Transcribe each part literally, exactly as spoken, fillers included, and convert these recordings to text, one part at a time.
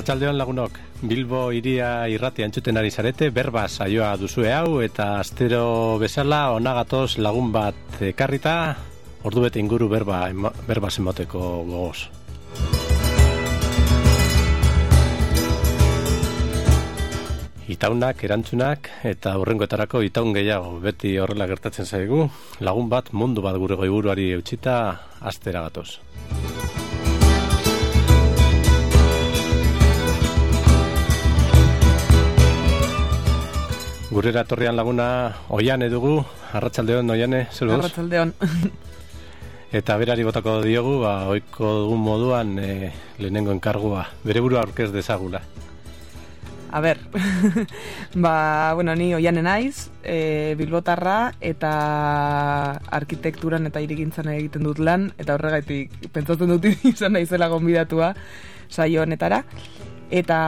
Arratsaldeon lagunok, Bilbo hiria irratia entzuten ari zarete, berba saioa duzue hau, eta astero bezala onagatoz lagun bat ekarrita, ordu bete inguru berba, berba zenbateko gogoz. Itaunak, erantzunak, eta hurrengoetarako itaun gehiago, beti horrela gertatzen zaigu, lagun bat mundu bat gure goiburuari eutxita astera gatoz. Gurera etorrian laguna Oiane dugu, arratsaldeon Oiane, zer duz? Arratsaldeon. Eta berari botako diogu, ba, ohiko dugun moduan e, lehenengo enkargua, bere burua aurkez dezagula. A ber, ba, bueno, ni Oiane naiz, e, bilbotarra, eta arkitekturan eta hirigintzan egiten dut lan, eta horregaitik pentsatzen dut izan naizela gonbidatua saio honetara, eta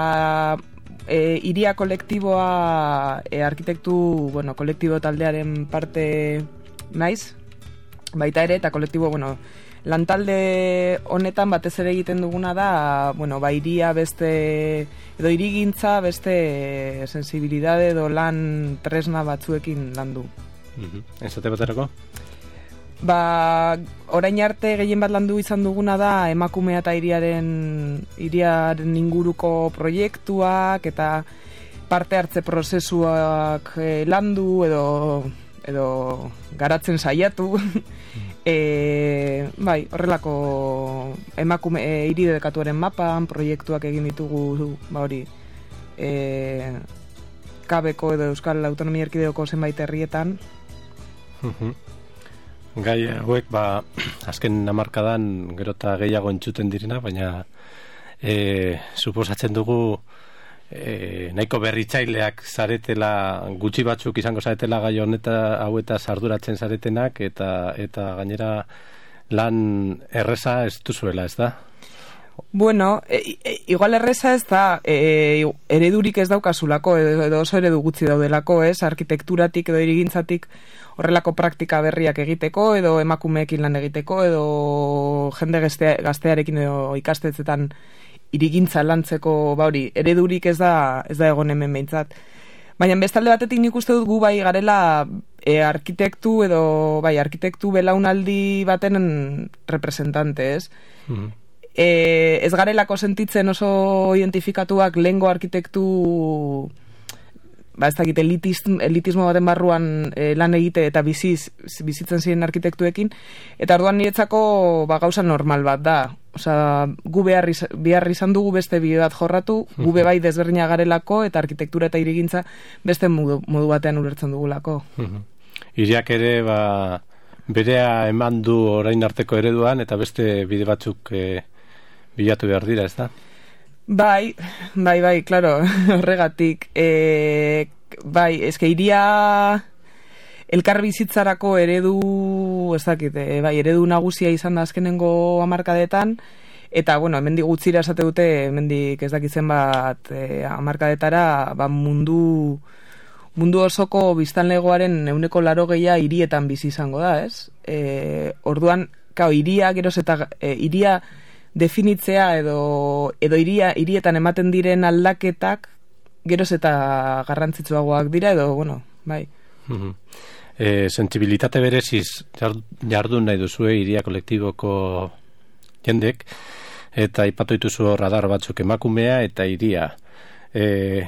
E, iria kolektiboa e, arkitektu, bueno, kolektibo taldearen parte naiz, baita ere, eta kolektibo, bueno, lantalde honetan batez ere egiten duguna da, bueno, ba, iria beste, edo irigintza beste sensibilidade edo lan tresna batzuekin landu. Mm-hmm. Ezate baterako? Ba, orain arte gehien bat landu izan duguna da emakumea eta iriaren iriaren inguruko proiektuak eta parte hartze prozesuak eh, landu edo edo garatzen saiatu. e, bai, horrelako emakume e, hiri dedikatuaren mapan proiektuak egin ditugu, ba hori. E, Kabeko edo Euskal Autonomia Erkidegoko zenbait herrietan. Mhm. Gai hauek, ba, azken hamarkadan gero eta gehiago entzuten direna, baina e, suposatzen dugu e, nahiko berritzaileak zaretela, gutxi batzuk izango zaretela gai honeta hauetaz arduratzen zaretenak, eta eta gainera lan erreza ez duzuela, ez da? Bueno, e, e, igual erreza ez da, e, eredurik ez daukazulako, edo, edo oso eredu gutxi daudelako, ez, arkitekturatik edo irigintzatik horrelako praktika berriak egiteko, edo emakumeekin lan egiteko, edo jende gazte, gaztearekin edo ikastetzetan irigintza lantzeko, ba hori, eredurik ez da, ez da egon hemen behintzat. Baina bestalde batetik nik uste dut gu bai garela e, arkitektu edo, bai, arkitektu belaunaldi baten representante, ez? Mm-hmm. E, ez garelako sentitzen oso identifikatuak lehengo arkitektu, ba ez dakit, elitismo, elitismo baten barruan e, lan egite eta biziz, bizitzen ziren arkitektuekin, eta orduan niretzako ba, gauza normal bat da. Osea, gu behar, behar izan dugu beste bide bat jorratu, gu be bai desberdina garelako, eta arkitektura eta hirigintza beste modu, modu batean ulertzen dugulako. Hiriak ere, ba, berea eman du orain arteko ereduan, eta beste bide batzuk e, bilatu behar dira, ez da? Bai, bai, bai, klaro, horregatik. E, bai, eske iria elkar bizitzarako eredu, ez dakit, e, bai, eredu nagusia izan da azkenengo hamarkadetan, eta, bueno, hemendik gutzira esate dute, hemendik ez dakit zenbat e, hamarkadetara, ba, mundu, mundu osoko biztanlegoaren ehuneko laurogei hirietan bizi izango da, ez? E, orduan, kao, iria, geroz eta, e, iria, definitzea edo edo hiria hirietan ematen diren aldaketak geroz eta garrantzitsuagoak dira edo bueno, bai. Mhm. Eh, sentsibilitate bereziz jardun nahi duzue hiria kolektiboko jendek eta aipatu dituzu radar batzuk emakumea eta hiria. Eh,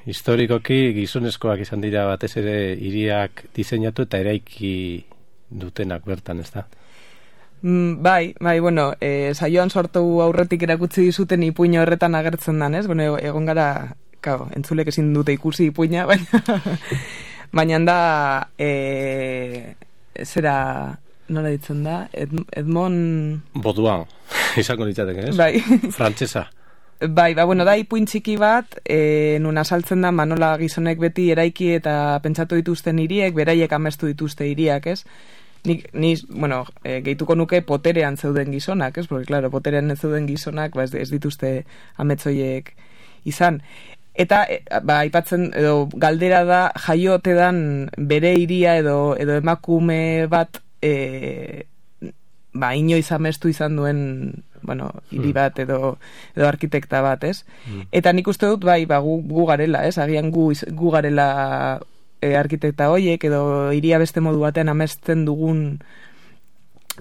historikoki gizonezkoak izan dira batez ere hiriak diseinatu eta eraiki dutenak bertan, ez da? Mm, bai, bai, bueno, e, saioan sortu aurretik erakutsi dizuten ipuina horretan agertzen dan, ez? Bueno, egon gara, kao, entzulek ezin dute ikusi ipuina, baina baina da, e, zera, nola ditzen da, Ed, Edmond... Baudouin, izango ditzatek, ez? Bai. Frantsesa. Bai, ba, bueno, da ipuin txiki bat, e, nun azaltzen da, manola gizonek beti eraiki eta pentsatu dituzten hiriek, beraiek amestu dituzte hiriak, ez? Ni, ni bueno, e, gehituko nuke poterean zeuden gizonak, ez? Porque, claro, poterean ez zeuden gizonak, ba, ez, ez dituzte ametzoiek izan. Eta, e, ba, aipatzen, edo, galdera da, jaiote dan bere hiria edo, edo emakume bat, e, ba, inoiz amestu izan duen bueno, hiri bat edo, edo arkitekta bat, ez? Mm. Eta nik uste dut, bai, ba, gu, gu garela, ez? Agian gu, gu garela e, arkitekta hoiek edo hiria beste modu batean amesten dugun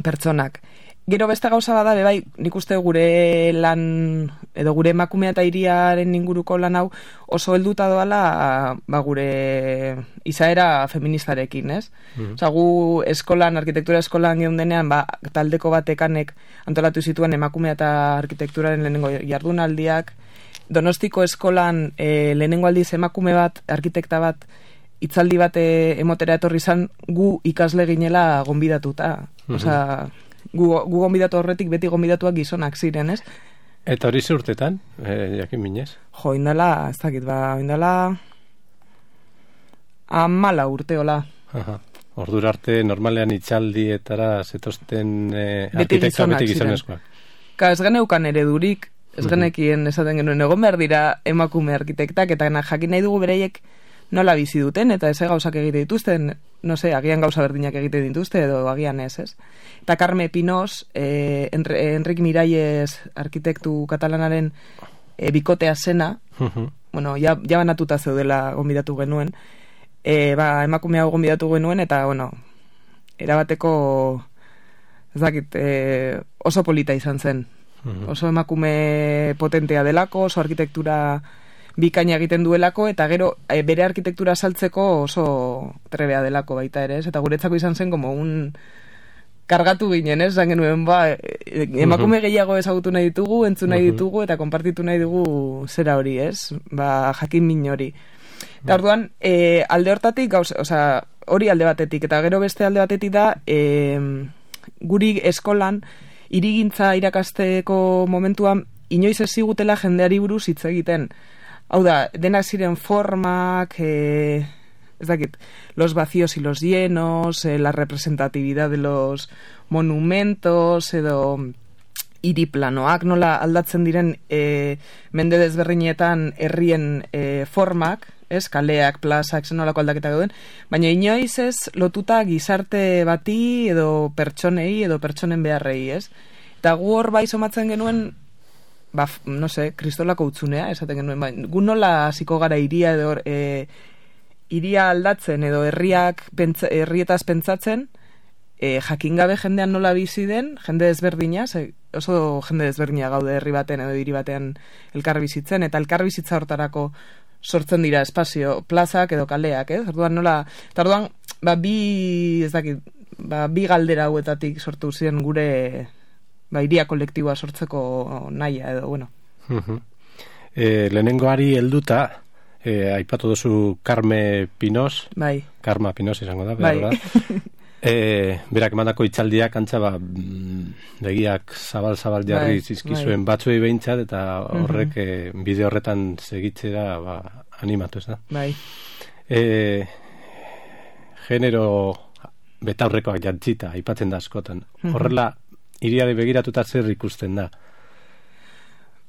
pertsonak. Gero beste gauza bada, be bai, nik uste gure lan, edo gure emakumea eta hiriaren inguruko lan hau oso helduta doala, ba, gure izaera feministarekin, ez? Mm-hmm. Osa, gu eskolan, arkitektura eskolan geundenean, ba, taldeko batekanek antolatu zituen emakumea eta arkitekturaren lehenengo jardunaldiak, Donostiko eskolan e, lehenengo aldiz emakume bat, arkitekta bat, hitzaldi bat emotera etorri izan, gu ikasle ginela gonbidatuta. Mm-hmm. Osa, gu, gu gonbidatu horretik beti gonbidatuak gizonak ziren, ez? Eta hori ze urtetan, eh, jakin minez? Jo, indala, ez dakit, ba, indala amala urteola. Aha. Ordura arte normalean itzaldietara zetozten eh, arkitekta beti gizonezkoak. Ka, ez geneukan eredurik, ez genekien esaten genuen, egon behar dira emakume arkitektak, eta jakin nahi dugu bereiek nola bizi duten, eta ez gauzak egite dituzten, no sé, agian gauza berdinak egite dituzte, edo agian ez, ez? Eta Carme Pinos, eh, Enric Miralles arkitektu katalanaren eh, bikotea zena, uh-huh. bueno, ja, ja banatuta zeudela gonbidatu genuen, eh, ba, emakume hau gonbidatu genuen, eta, bueno, erabateko, ez dakit, eh, oso polita izan zen. Uh-huh. Oso emakume potentea delako, oso arkitektura bikaina egiten duelako, eta gero e, bere arkitektura saltzeko oso trebea delako baita ere, ez? Eta guretzako izan zen como un kargatu ginen, ez? Zan genuen, ba, e, emakume gehiago ezagutu nahi ditugu, entzun nahi ditugu, eta konpartitu nahi dugu zera hori, ez? Ba, jakin min hori. Eta orduan, e, alde hortatik, gauz, oza, hori alde batetik, eta gero beste alde batetik da, e, guri eskolan, hirigintza irakasteko momentuan, inoiz ez zigutela jendeari buruz hitz egiten. Hau da, denak ziren formak, eh, ez dakit, los vacíos y los llenos, eh, la representatividad de los monumentos, edo hiriplanoak, nola aldatzen diren eh, mende desberdinetan herrien eh, formak, ez, kaleak, plazak, zen nolako aldaketak duen, baina inoiz ez lotuta gizarte bati edo pertsonei edo pertsonen beharrei, ez? Eta gu hor bai somatzen genuen, ba, no sé, kristolako utzunea, esaten genuen, ba, gu nola hasiko gara iria edo e, iria aldatzen edo herriak pentsa, herrietaz pentsatzen, e, jakin gabe jendean nola bizi den, jende desberdina, ze, oso jende desberdina gaude herri baten edo hiri batean elkar bizitzen, eta elkar bizitza hortarako sortzen dira espazio, plazak edo kaleak, ez? Orduan nola, eta orduan, ba, bi, ez dakit, ba, bi galdera hauetatik sortu ziren gure ba, iria kolektiboa sortzeko naia edo, bueno. Uh-huh. E, lehenengoari helduta, e, aipatu duzu Carme Pinos, bai. Karma Pinos izango da, bai. e, berak emandako hitzaldiak antza, ba, begiak zabal-zabal jarri bai, zizkizuen bai. Batzuei behintzat, eta horrek uh-huh. e, bide horretan segitzera ba, animatu, ez da? Bai. E, genero betaurrekoak jantzita, aipatzen da askotan. Uh-huh. Horrela, iriade begiratuta zer ikusten da?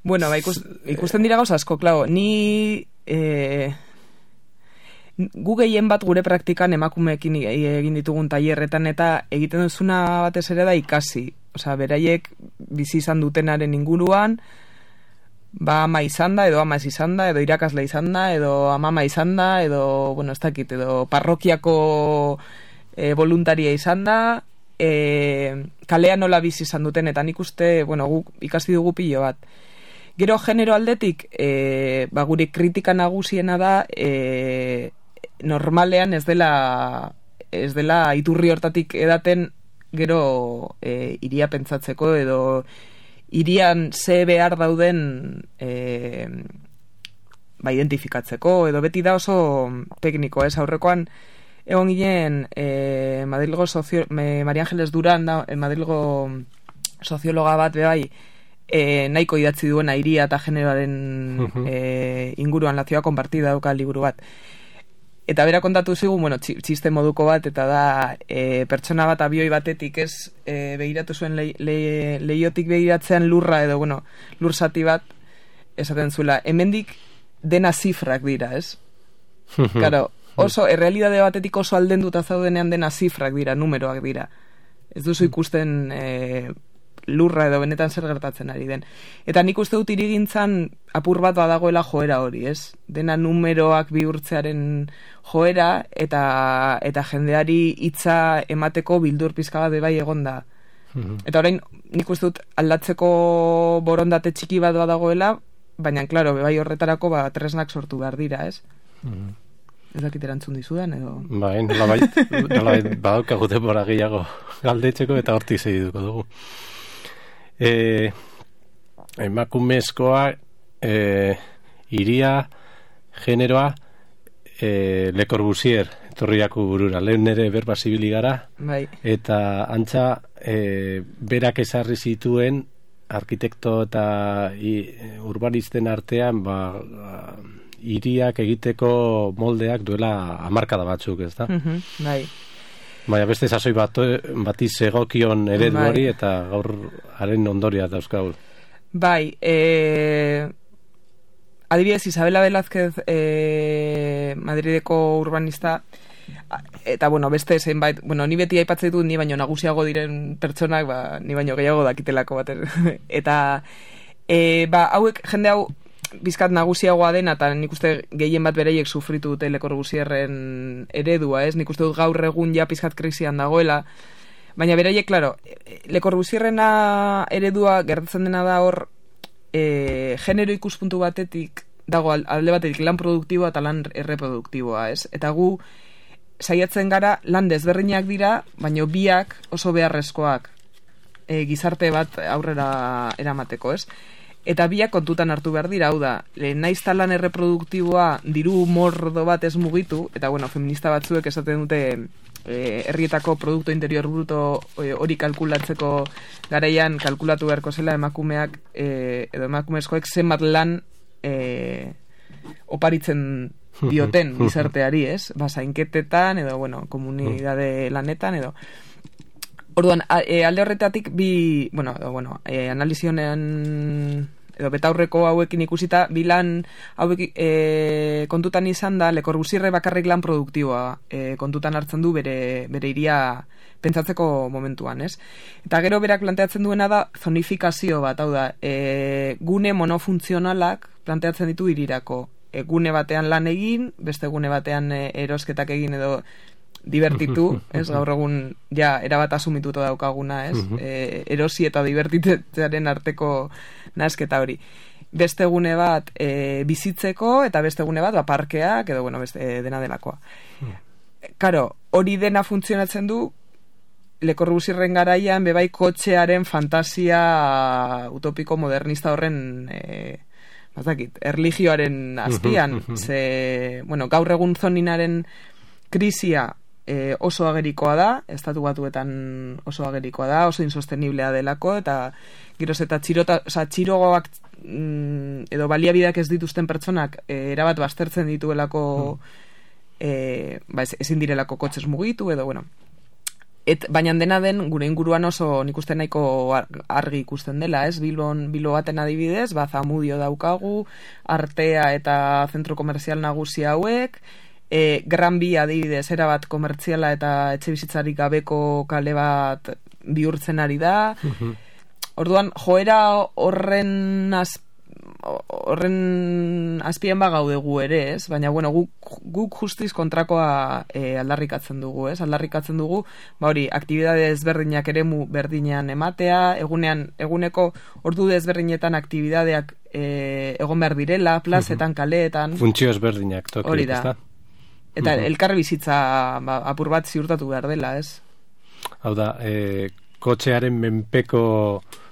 Bueno, ba, ikus, ikusten dira gauza asko, klago. Ni e, gu gehien bat gure praktikan emakumeekin egin ditugun tailerretan eta egiten duzuna batez ere da ikasi. Osea, beraiek bizi izan dutenaren inguruan, ba ama izan da, edo ama ez izan da, edo irakasle izan da, edo amama izan da, edo, bueno, ez dakit, edo parrokiako e, voluntaria izan da, E, kalea nola bizi izan duten, eta nik uste, bueno, guk ikasi dugu pilo bat. Gero genero aldetik, e, ba, gure kritika nagusiena da, e, normalean ez dela, ez dela iturri hortatik edaten, gero e, iria pentsatzeko, edo irian ze behar dauden e, ba, identifikatzeko, edo beti da oso tekniko, ez, aurrekoan, egon ginen, eh, Madrilgo socio, me, María Ángeles Durán, da, eh, Madrilgo soziologa bat bebai, eh, nahiko idatzi duena iria eta generoaren uh-huh. eh, inguruan la ciudad compartida dauka liburu bat. Eta bera kontatu zigu, bueno, txiste moduko bat, eta da eh, pertsona bat abioi batetik ez eh, begiratu zuen le, le, leiotik begiratzean lurra edo, bueno, lur zati bat, esaten zuela, hemendik dena zifrak dira, ez? Claro, oso, errealidade batetik oso aldenduta zaudenean dena zifrak dira, numeroak dira. Ez duzu ikusten e, lurra edo benetan zer gertatzen ari den. Eta nik uste dut hirigintzan apur bat badagoela joera hori, ez? Dena numeroak bihurtzearen joera eta eta jendeari hitza emateko bildur pizka bat bai egonda. Eta orain nik uste dut aldatzeko borondate txiki bat badagoela, baina, klaro, bai horretarako ba, tresnak sortu behar dira, ez? Mm-hmm. Ez dakit erantzun dizudan, edo... Bai, nolabait, nolabait badaukagu denbora gehiago galdetzeko eta hortik segituko dugu. E, emakumezkoa, e, iria, generoa, e, Le Corbusier, etorriako burura, lehen nere berba zibili gara, bai. Eta antza, e, berak ezarri zituen arkitekto eta i, urbanisten artean ba, hiriak egiteko moldeak duela hamarkada batzuk, ez da? Mm-hmm, bai. Baina beste sasoi bat, bati zegokion eredu hori bai. Eta gaur haren ondoria dauzkagu. Bai, e, adibidez Isabela Velázquez e, Madrideko urbanista, eta bueno, beste zenbait, bueno, ni beti aipatzen dut ni baino nagusiago diren pertsonak, ba, ni baino gehiago dakitelako bat. Eta e, ba, hauek jende hau bizkat nagusiagoa dena, eta nik uste gehien bat bereiek sufritu dute Le Corbusierren eredua, ez? Nik uste dut gaur egun ja pizkat krisian dagoela, baina beraiek, klaro, Le Corbusierrena eredua gertatzen dena da hor e, genero ikuspuntu batetik dago alde batetik lan produktiboa eta lan erreproduktiboa, ez? Eta gu saiatzen gara lan desberdinak dira, baina biak oso beharrezkoak e, gizarte bat aurrera eramateko, ez? Eta biak kontutan hartu behar dira, hau da, naiz lan erreproduktiboa diru mordo bat ez mugitu, eta bueno, feminista batzuek esaten dute e, herrietako produkto interior bruto e, hori kalkulatzeko garaian kalkulatu beharko zela emakumeak e, edo emakumezkoek zenbat lan e, oparitzen dioten gizarteari, ez? Ba, zainketetan edo, bueno, komunidade lanetan edo... Orduan, e, alde horretatik bi, bueno, edo, bueno, e, analizionean edo betaurreko hauekin ikusita, bi lan hauek e, kontutan izan da, Le Corbusierre bakarrik lan produktiboa e, kontutan hartzen du bere, bere iria pentsatzeko momentuan, ez? Eta gero berak planteatzen duena da zonifikazio bat, hau da, e, gune monofuntzionalak planteatzen ditu irirako. E, gune batean lan egin, beste gune batean e, erosketak egin edo divertitu, ez, gaur egun ja, erabat asumituta daukaguna, ez, e, erosi eta divertitzearen arteko nasketa hori. Beste gune bat e, bizitzeko, eta beste gune bat, ba, parkeak, edo, bueno, beste, e, dena delakoa. Karo, hori dena funtzionatzen du, Le Corbusierren garaian, bebai kotxearen fantasia utopiko modernista horren, e, bazakit, erligioaren azpian, ze, bueno, gaur egun zoninaren krisia E, oso agerikoa da, estatu batuetan oso agerikoa da, oso insosteniblea delako, eta giroz eta txirota, oza, txirogoak mm, edo baliabideak ez dituzten pertsonak e, erabat baztertzen dituelako e, ba, ez, ezin direlako kotxez mugitu, edo, bueno. Et, baina dena den, gure inguruan oso nik uste nahiko argi ikusten dela, ez? Bilbon, Bilbo baten adibidez, ba, Zamudio daukagu, Artea eta zentro komerzial nagusi hauek, E, Gran Bi adibidez, erabat komertziala eta etxe bizitzarik gabeko kale bat bihurtzen ari da. Orduan, joera horren az, horren azpien bagaude gu ere, ez? Baina, bueno, guk, guk justiz kontrakoa e, aldarrikatzen dugu, ez? Aldarrikatzen dugu, ba hori, aktibidade ezberdinak eremu berdinean ematea, egunean, eguneko ordu ezberdinetan aktibidadeak e, egon behar direla, plazetan, kaleetan. Funtzio ezberdinak, toki, hori da. Eta uh-huh. elkar bizitza ba, apur bat ziurtatu behar dela, ez? Hau da, e, kotxearen menpeko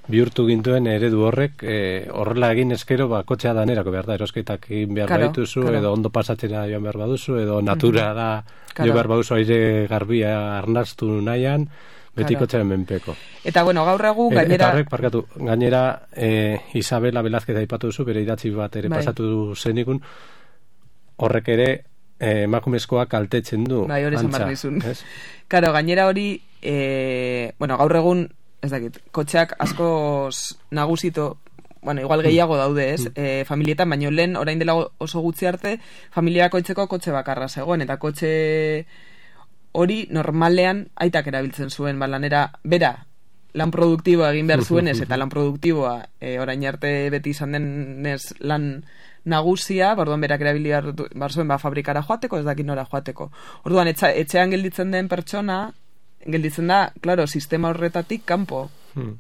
bihurtu gintuen eredu horrek, e, horrela egin eskero, ba, kotxea danerako behar da, erosketak egin behar claro, badituzu, claro. Edo ondo pasatzena joan behar baduzu, edo natura uh-huh. da claro. Jo behar baduzu aire garbia arnastu nahian, beti claro. Kotxearen menpeko. Eta bueno, gaur egun gainera... Eta horrek, parkatu, gainera e, Isabela Velázquez aipatu duzu, bere idatzi bat ere bai. Pasatu zenikun, horrek ere Eh, emakumezkoak kaltetzen du. Bai, hori zen barbizun. Karo, gainera hori, e, bueno, gaur egun, ez dakit, kotxeak askoz nagusito, bueno, igual gehiago daude, ez, mm. e, familietan, baino lehen, orain dela oso gutxi arte, familiako itzeko kotxe bakarra zegoen, eta kotxe hori normalean aitak erabiltzen zuen, ba, lanera, bera, lan produktiboa egin behar zuenez, eta lan produktiboa e, orain arte beti izan denez lan nagusia, orduan berak erabili behar zuen ba, fabrikara joateko, ez dakit nora joateko. Orduan, etxa, etxean gelditzen den pertsona, gelditzen da, claro, sistema horretatik kanpo. Hmm.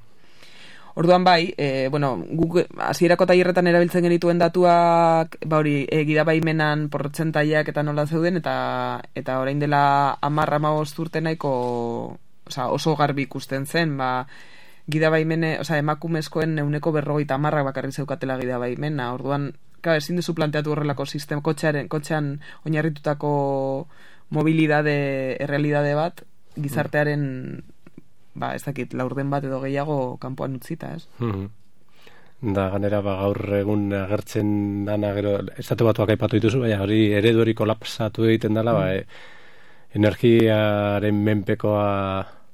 Orduan bai, e, bueno, guk hasierako tailerretan erabiltzen genituen datuak, ba hori, e, gidabaimenan portzentaiak eta nola zeuden, eta eta orain dela hamar hamabost urte nahiko, osea, oso garbi ikusten zen, ba, gidabaimene, osea, emakumezkoen ehuneko berrogeita hamarrak bakarrik zeukatela gidabaimena. Orduan, claro, ezin duzu planteatu horrelako sistema, kotxearen, kotxean oinarritutako mobilidade, errealidade bat, gizartearen, ba, ez dakit, laurden bat edo gehiago kanpoan utzita, ez? Mm-hmm. Da, ganera, ba, gaur egun agertzen dana, gero, estatu batuak aipatu dituzu, baina hori eredu hori kolapsatu egiten dela, mm. ba, e, energiaren menpekoa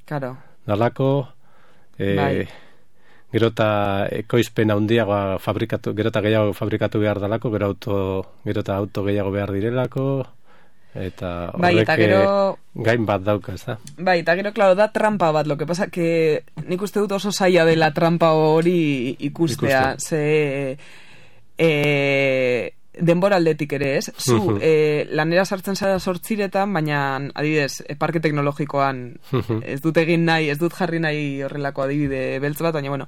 claro. dalako, e, bai. Gero eta ekoizpen handiagoa fabrikatu, gero eta gehiago fabrikatu behar dalako, gero auto, gero eta auto gehiago behar direlako, eta horrek bai, gero, gain bat dauka, ez da? Bai, eta gero, klaro, da trampa bat, lo que pasa que nik uste dut oso zaila dela trampa hori ikustea, Ikuste. ze e, denbora aldetik ere, ez? Zu, uh-huh. e, lanera sartzen zara sortziretan, baina, adibidez, e, parke teknologikoan uh-huh. ez dut egin nahi, ez dut jarri nahi horrelako adibide beltz bat, baina, bueno,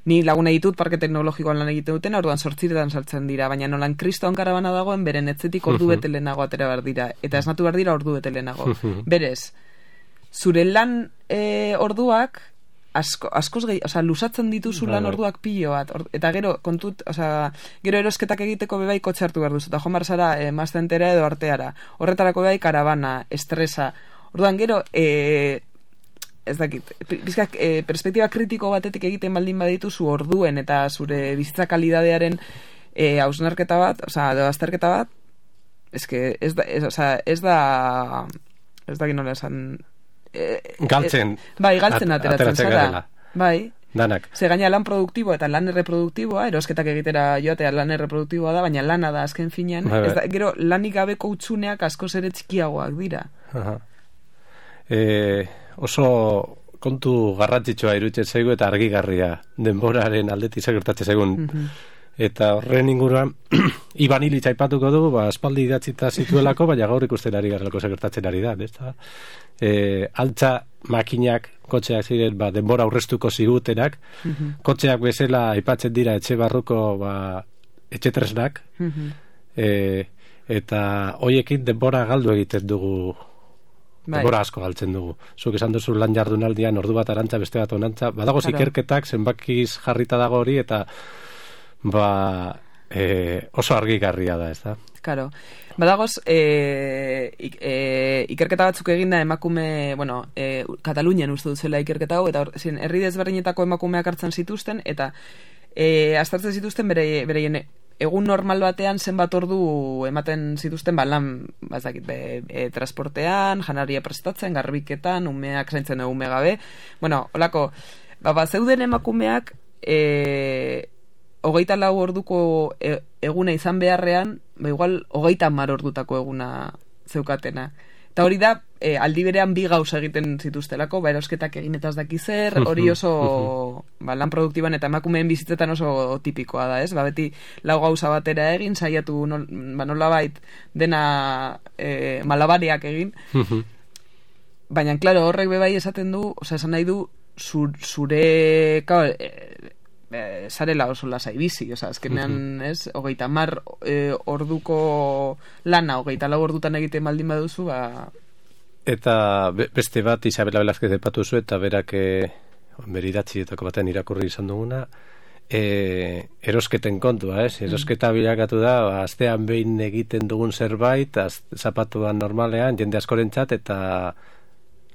ni laguna ditut parke teknologikoan lan egiten duten, orduan sortziretan sartzen dira, baina nolan kriston karabana dagoen, beren etzetik ordu bete lehenago atera behar dira, eta esnatu behar dira ordu bete lehenago. Uh-huh. Berez, zure lan e, orduak, asko, askoz gehi, oza, lusatzen dituzu lan orduak pilo bat, or, eta gero, kontut, oza, gero erosketak egiteko bebai kotxe hartu behar duzu, eta joan barzara, e, maztentera edo arteara, horretarako bebai karabana, estresa, orduan gero, e, ez dakit, bizkak, e, perspektiba kritiko batetik egiten baldin badituzu orduen, eta zure bizitza kalidadearen e, hausnarketa bat, oza, edo azterketa bat, ez que, ez da, ez, oza, ez da, ez da ginola esan, galtzen bai, galtzen ateratzen zara bai, danak ze gaina lan produktibo eta lan erreproduktiboa erosketak egitera joatea lan erreproduktiboa da, baina lana da azken finean bai, bai. Ez da, gero lanik gabeko utzuneak askoz ere txikiagoak dira. Aha. E, oso kontu garrantzitsua iruditzen zaigu eta argigarria denboraren aldetik gertatzen zaigun mm-hmm. Eta horren inguruan Iban Ilitz aipatuko dugu, ba, aspaldi idatzita zituelako, baina gaur ikusten ari garelako gertatzen ari da, ez da? E, altza makinak, kotxeak ziren, ba, denbora aurreztuko zigutenak, mm-hmm. kotxeak bezala aipatzen dira etxe barruko ba, etxe tresnak, mm-hmm. e, eta hoiekin denbora galdu egiten dugu, bai. Denbora asko galtzen dugu. Zuk esan duzu lan jardunaldian, ordu bat arantza, beste bat onantza, badago claro. Ikerketak, zenbakiz jarrita dago hori, eta ba, e, oso argigarria da, ez da? Claro. Badagoz, e, e, ikerketa batzuk eginda emakume, bueno, e, Katalunian uste dut zela ikerketa hau, eta or, zin, herri desberdinetako emakumeak hartzen zituzten, eta e, aztertzen zituzten bere, bereien egun normal batean zenbat ordu ematen zituzten, ba, lan, bazakit, be, e, transportean, janaria prestatzen, garbiketan, umeak zaintzen ume gabe, bueno, holako, ba, ba, zeuden emakumeak, e, hogeita lau orduko e, eguna izan beharrean, ba igual hogeita hamar ordutako eguna zeukatena. Eta hori da, e, aldi berean bi gauza egiten zituztelako, ba erosketak egin eta ez daki zer, hori oso ba, lan produktiban eta emakumeen bizitzetan oso tipikoa da, ez? Ba beti lau gauza batera egin, saiatu nol, ba, nolabait dena e, malabariak egin. Baina, klaro, horrek bebai esaten du, oza, esan nahi du, zur, zure, kao, e, E, zarela oso lasai bizi, oza, azkenean, uh-huh. ez, hogeita mar e, orduko lana, hogeita lau ordutan egiten baldin baduzu, ba... Eta be, beste bat, Isabela Velázquez epatu zu, eta berak e, beridatzi etako batean irakurri izan duguna, e, erosketen kontua, ez? Erosketa uh-huh. bilakatu da, ba, astean behin egiten dugun zerbait, az, zapatuan normalean, jende askorentzat, eta...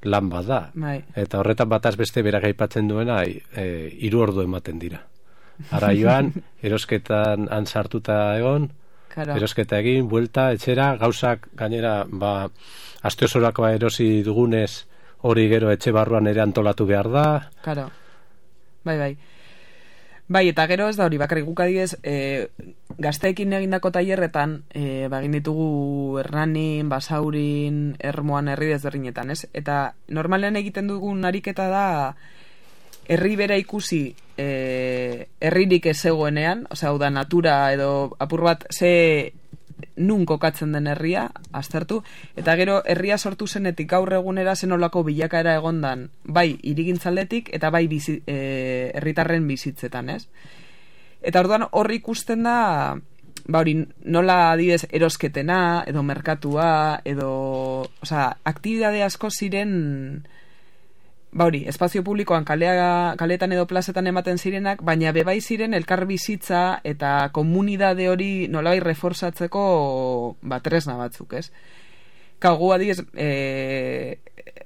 lan bat da. Bai. Eta horretan bataz beste berak aipatzen duena e, hiru ordu ematen dira. Ara joan, erosketan han sartuta egon, claro. Erosketa egin, buelta, etxera, gauzak gainera, ba, aste osorakoa erosi dugunez hori gero etxe barruan ere antolatu behar da. Claro. Bai, bai. Bai, eta gero ez da hori, bakarrik guk adibidez, e, gazteekin egindako tailerretan, e, bagin ditugu Hernanin, Basaurin, Ermoan, herri desberdinetan, ez? Eta normalean egiten dugun ariketa da, herri bera ikusi e, herririk ez zegoenean, osea, hau da, natura edo apur bat ze nun kokatzen den herria, aztertu, eta gero herria sortu zenetik gaur egunera zenolako bilakaera egondan, bai irigintzaldetik eta bai bizi, e, herritarren bizitzetan, ez? Eta orduan horri ikusten da, ba hori, nola adidez erosketena, edo merkatua, edo, osea, aktibitate asko ziren, ba hori, espazio publikoan kalea, kaletan edo plazetan ematen zirenak, baina bebai ziren elkar bizitza eta komunidade hori nolabait reforzatzeko ba, tresna batzuk, ez? Kagu adibidez, e,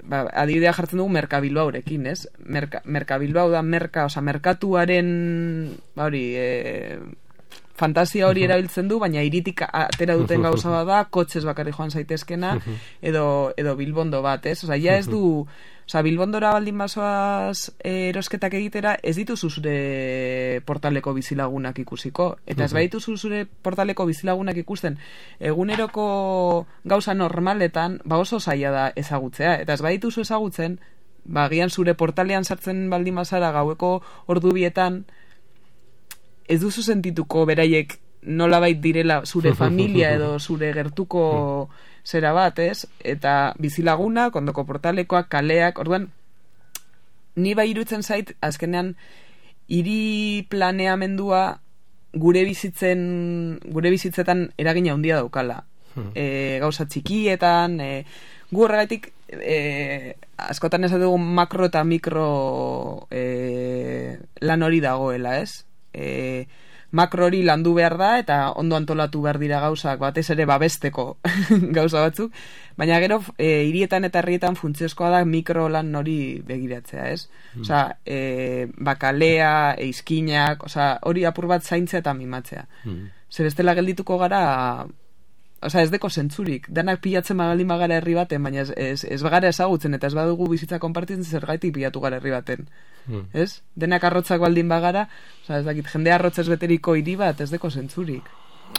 ba, adibidea jartzen dugu Merkabilbaurekin, ez? Merka, Merkabilbau da merka, oza, merkatuaren, ba hori, e, fantasia hori erabiltzen du, baina hiritik atera duten gauza bat da, kotxez bakarri joan zaitezkena, edo, edo bilbondo bat, ez? Oza, ja ez du... Osa, Bilbondora baldin bazoaz e, erosketak egitera, ez dituzu zure portaleko bizilagunak ikusiko. Eta ez badituzu zure portaleko bizilagunak ikusten, eguneroko gauza normaletan, ba oso zaila da ezagutzea. Eta ez badituzu ezagutzen, ba gian zure portalean sartzen baldin bazara gaueko ordubietan, ez duzu sentituko beraiek nolabait direla zure familia edo zure gertuko zera bat, ez? Eta bizilagunak, ondoko portalekoak, kaleak, orduan, ni bai irutzen zait, azkenean, hiri planeamendua gure bizitzen, gure bizitzetan eragina handia daukala. Hmm. E, gauza txikietan, e, gu horregatik, e, askotan ez dugu makro eta mikro e, lan hori dagoela, ez? E, makro hori landu behar da eta ondo antolatu behar dira gauzak, batez ere babesteko gauza batzuk, baina gero e, hirietan eta herrietan funtziozkoa da mikro lan hori begiratzea, ez? Mm. Osa, e, bakalea, eizkinak, osa, hori apur bat zaintzea eta mimatzea. Mm. Zer ez dela geldituko gara, osa, ez deko zentzurik, danak pilatzen baldin bagara herri baten, baina ez, ez, ez bagara ezagutzen eta ez badugu bizitza konpartitzen zergaitik pilatu gara herri baten. Hmm. Ez? Denak arrotzak baldin bagara, oza, ez dakit, jende arrotzez beteriko hiri bat, ez deko zentzurik.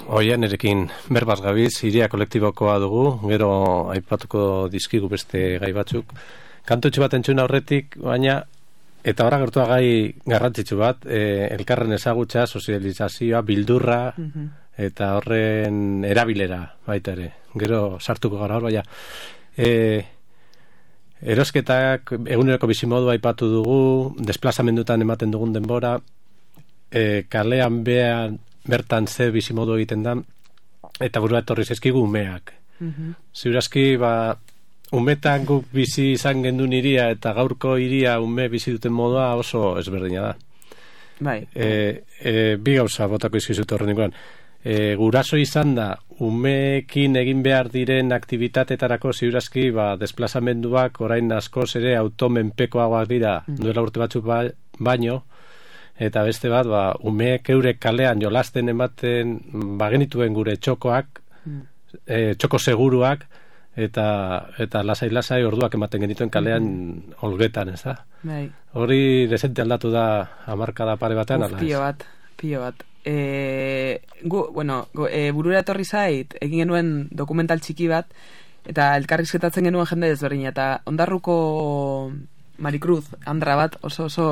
Oian, erekin berbaz gabiz, hiria kolektibokoa dugu, gero aipatuko dizkigu beste gai batzuk. Kantotxe bat entzuna horretik, baina, eta ora gertua gai garrantzitsu bat, e, elkarren ezagutza, sozializazioa, bildurra, mm-hmm. eta horren erabilera baita ere. Gero sartuko gara hor, baina, e, erosketak eguneroko bizimodua aipatu dugu, desplazamendutan ematen dugun denbora, e, kalean behan, bertan ze bizimodu egiten da, eta burua etorri zezkigu umeak. Mm-hmm. Ziurazki, ba, umetan guk bizi izan gendun iria, eta gaurko iria ume bizi duten modua oso ezberdina da. Bai. E, e, bi gauza botako izkizut horren ikuan. E, guraso izan da, umeekin egin behar diren aktivitatetarako ziurazki, ba, desplazamenduak orain askoz ere automenpekoagoak dira mm. duela urte batzuk ba, baino, eta beste bat, ba, umeek eurek kalean jolasten ematen bagenituen gure txokoak, mm. e, txoko seguruak, eta eta lasai-lasai orduak ematen genituen kalean mm. olgetan, ez da? Bai. Hori desente aldatu da hamarkada pare batean, ala? Pio bat, pio bat. E, gu, bueno, gu, e, burura etorri zait, egin genuen dokumental txiki bat, eta elkarrizketatzen genuen jende desberdina, eta ondarruko Maricruz, Andra bat, oso oso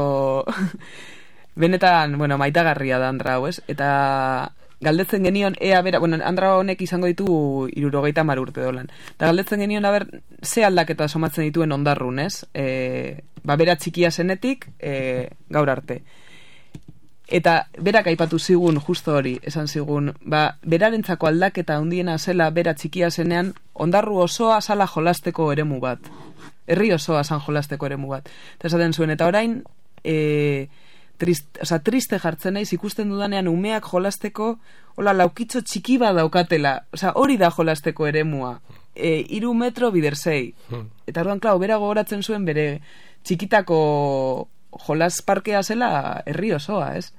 benetan, bueno, maitagarria da Andra hau, ez? Eta galdetzen genion, ea bera, bueno, Andra honek izango ditu hirurogeita hamar urte dolan, eta galdetzen genion, aber, ze aldaketa somatzen dituen ondarrun, ez? E, ba, bera txikia zenetik, e, gaur arte. Eta berak aipatu zigun, justo hori, esan zigun, ba, berarentzako aldaketa handiena zela bera txikia zenean, ondarru osoa sala jolasteko eremu bat. Herri osoa san jolasteko eremu bat. Eta esaten zuen, eta orain, e, trist, oza, triste jartzen naiz ikusten dudanean umeak jolasteko, hola, laukitxo txiki bat daukatela. Oza, hori da jolasteko eremua. E, iru metro biderzei. Eta orduan, klau, bera gogoratzen zuen bere txikitako jolas parkea zela herri osoa, ez?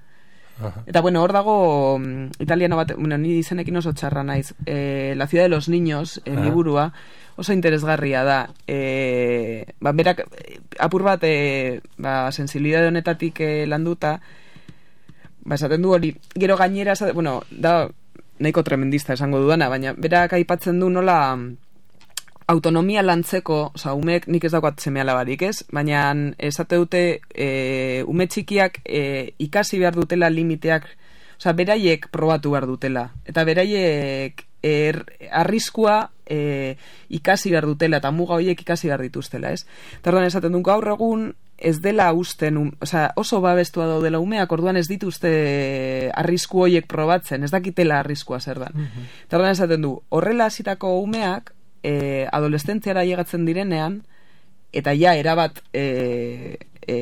Aha. Eta bueno, hor dago italiano bat, bueno, ni izenekin oso txarra naiz, e, La ciudad de los niños, e, liburua, oso interesgarria da. E, ba, berak, apur bat, e, ba, sensibilidade honetatik e, landuta, ba, esaten du hori, gero gainera, bueno, da nahiko tremendista esango dudana, baina berak aipatzen du nola autonomia lantzeko, oza, umeek nik ez daukat seme-alabarik, ez? Baina esate dute e, ume txikiak e, ikasi behar dutela limiteak, oza, beraiek probatu behar dutela. Eta beraiek er, arriskua e, ikasi behar dutela, eta muga horiek ikasi behar dituztela, ez? Eta orduan esaten du gaur egun ez dela usten, um, oza, oso babestua daudela umeak, orduan ez dituzte arrisku horiek probatzen, ez dakitela arriskua zer dan. Mm-hmm. Eta orduan esaten du, horrela hasitako umeak, E, adolescentziara llegatzen direnean eta ja erabat e, e,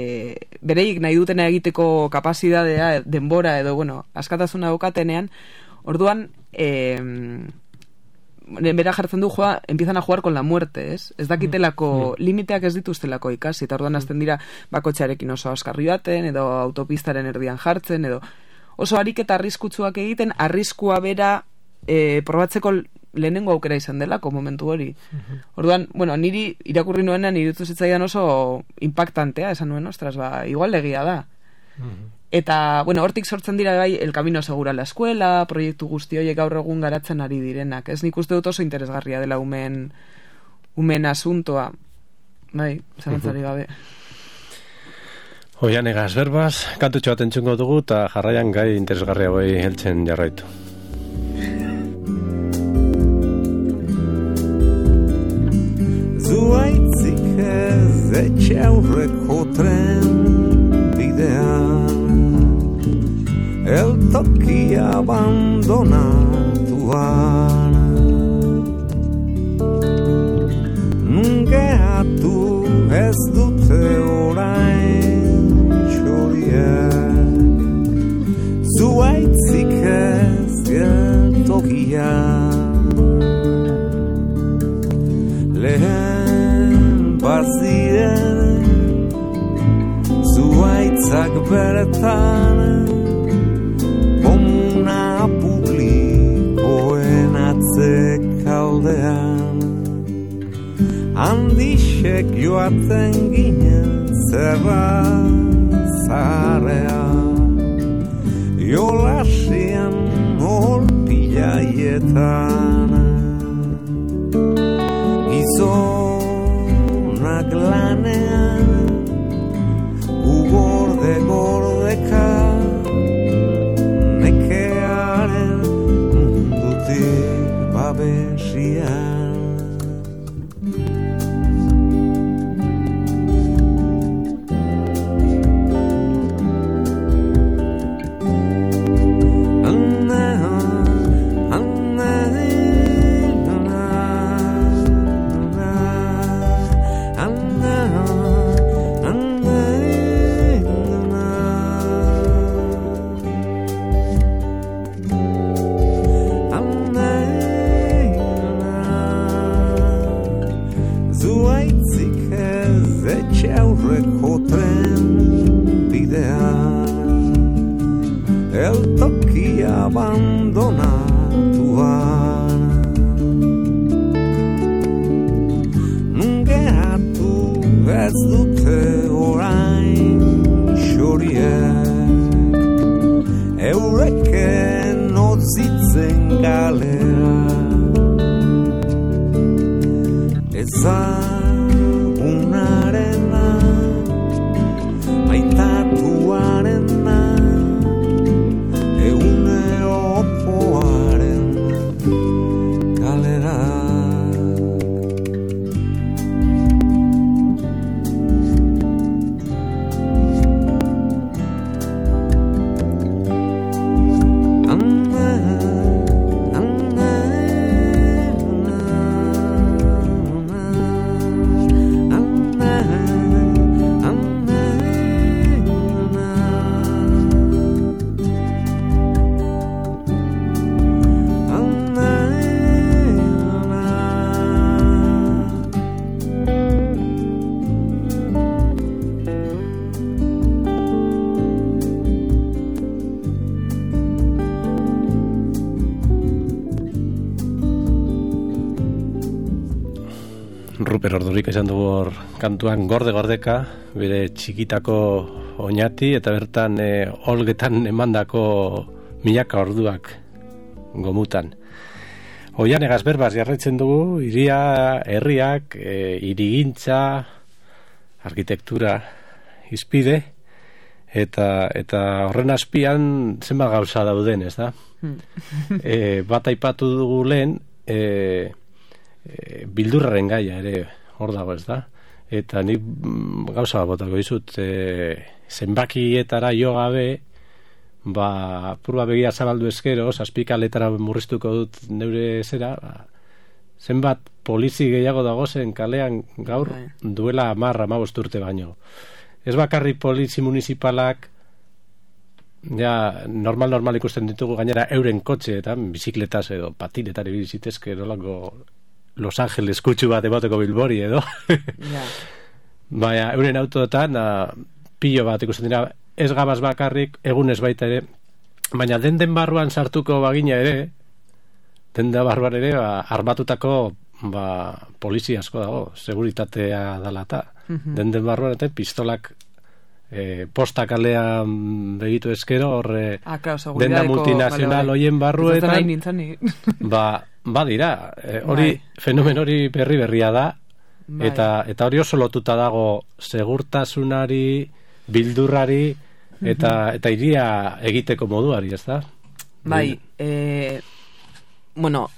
bereik nahi dutena egiteko kapazidadea, denbora edo bueno, askatasuna daukatenean, orduan e, bera jartzen du joa, empiezan a jugar con la muerte, ez? Ez dakitelako, mm. limiteak ez dituztelako ikasi, eta orduan hasten dira bakotxearekin oso askarri baten, edo autopistaren erdian jartzen, edo oso ariketa arriskutsuak egiten, arriskua bera e, probatzeko lehenengo aukera izan delako momentu hori. Uh-huh. Orduan, bueno, niri irakurri nuenean irutu zitzaidan oso impactantea, esan nuen, ostras, ba, igual egia da. Uh-huh. Eta, bueno, hortik sortzen dira bai, El Camino Seguro a la Escuela, proiektu guzti horiek gaur egun garatzen ari direnak. Ez nik uste dut oso interesgarria dela umen, umen asuntoa. Bai, zarantzari gabe. Oian egaz berbaz, kantutxo bat entzungo dugu, eta jarraian gai interesgarria bai heltzen jarraitu. Zuaitzik ez etxe aurreko tren bidean, el toki abandonatuan, nungeatu ez dute orain txoriak, zuaitzik ez geltokian, lehen baziren zuaitzak bertan, komuna publikoen atzekaldean, handixek joaten ginen zerra zarea, jolasian olpilaietan, gizonak lanean, ugorde gordeka, nekearen mundutik babesian. Abandonatuan, nungeatu ez dute orain xoriek, eureken otzitzen galera, ezagunarena, maitatuarena, Ruper Ordurik esan dugu hor kantuan gorde-gordeka, bere txikitako oinati, eta bertan e, olgetan emandako milaka orduak gomutan. Oian egaz berbaz jarraitzen dugu, iria, herriak, e, irigintza, arkitektura, izpide, eta eta horren azpian zenba gauza dauden, ez da? e, bat aipatu dugu lehen, e, e, bildurraren gaia ere hor dago, ez da? Eta nik gauza botako dizut, e, zenbakietara jo gabe, ba, purba begia zabaldu ezkero, zazpikaletara murriztuko dut neure zera, ba, zenbat polizi gehiago dago zen kalean gaur Bai. duela hamar hamabost urte baino. Ez bakarrik polizi municipalak, ja, normal normal ikusten ditugu gainera euren kotxeetan, bizikletaz edo patinetan ibizitezke nolako Los Angeles kutsu bat emateko Bilbori edo. Ja. Baina, euren autoetan, pilo bat ikusten dira, ez gabaz bakarrik, egunez baita ere, baina den-den barruan sartuko bagina ere, den-den barruan ere, ba, armatutako ba, polizia asko dago, seguritatea dala eta, Mhm. den-den barruan eta pistolak e, posta kalean begitu eskero, horre Ah, claro, denda seguridadeko, multinazional vale, hoien Ez barruetan, da nahi nintzen ni. ba, ba dira, e, hori, Bai. fenomen hori berri berria da, Bai. eta eta hori oso lotuta dago segurtasunari, bildurrari, eta eta iria egiteko moduari, ez da? Bai, eh, bueno,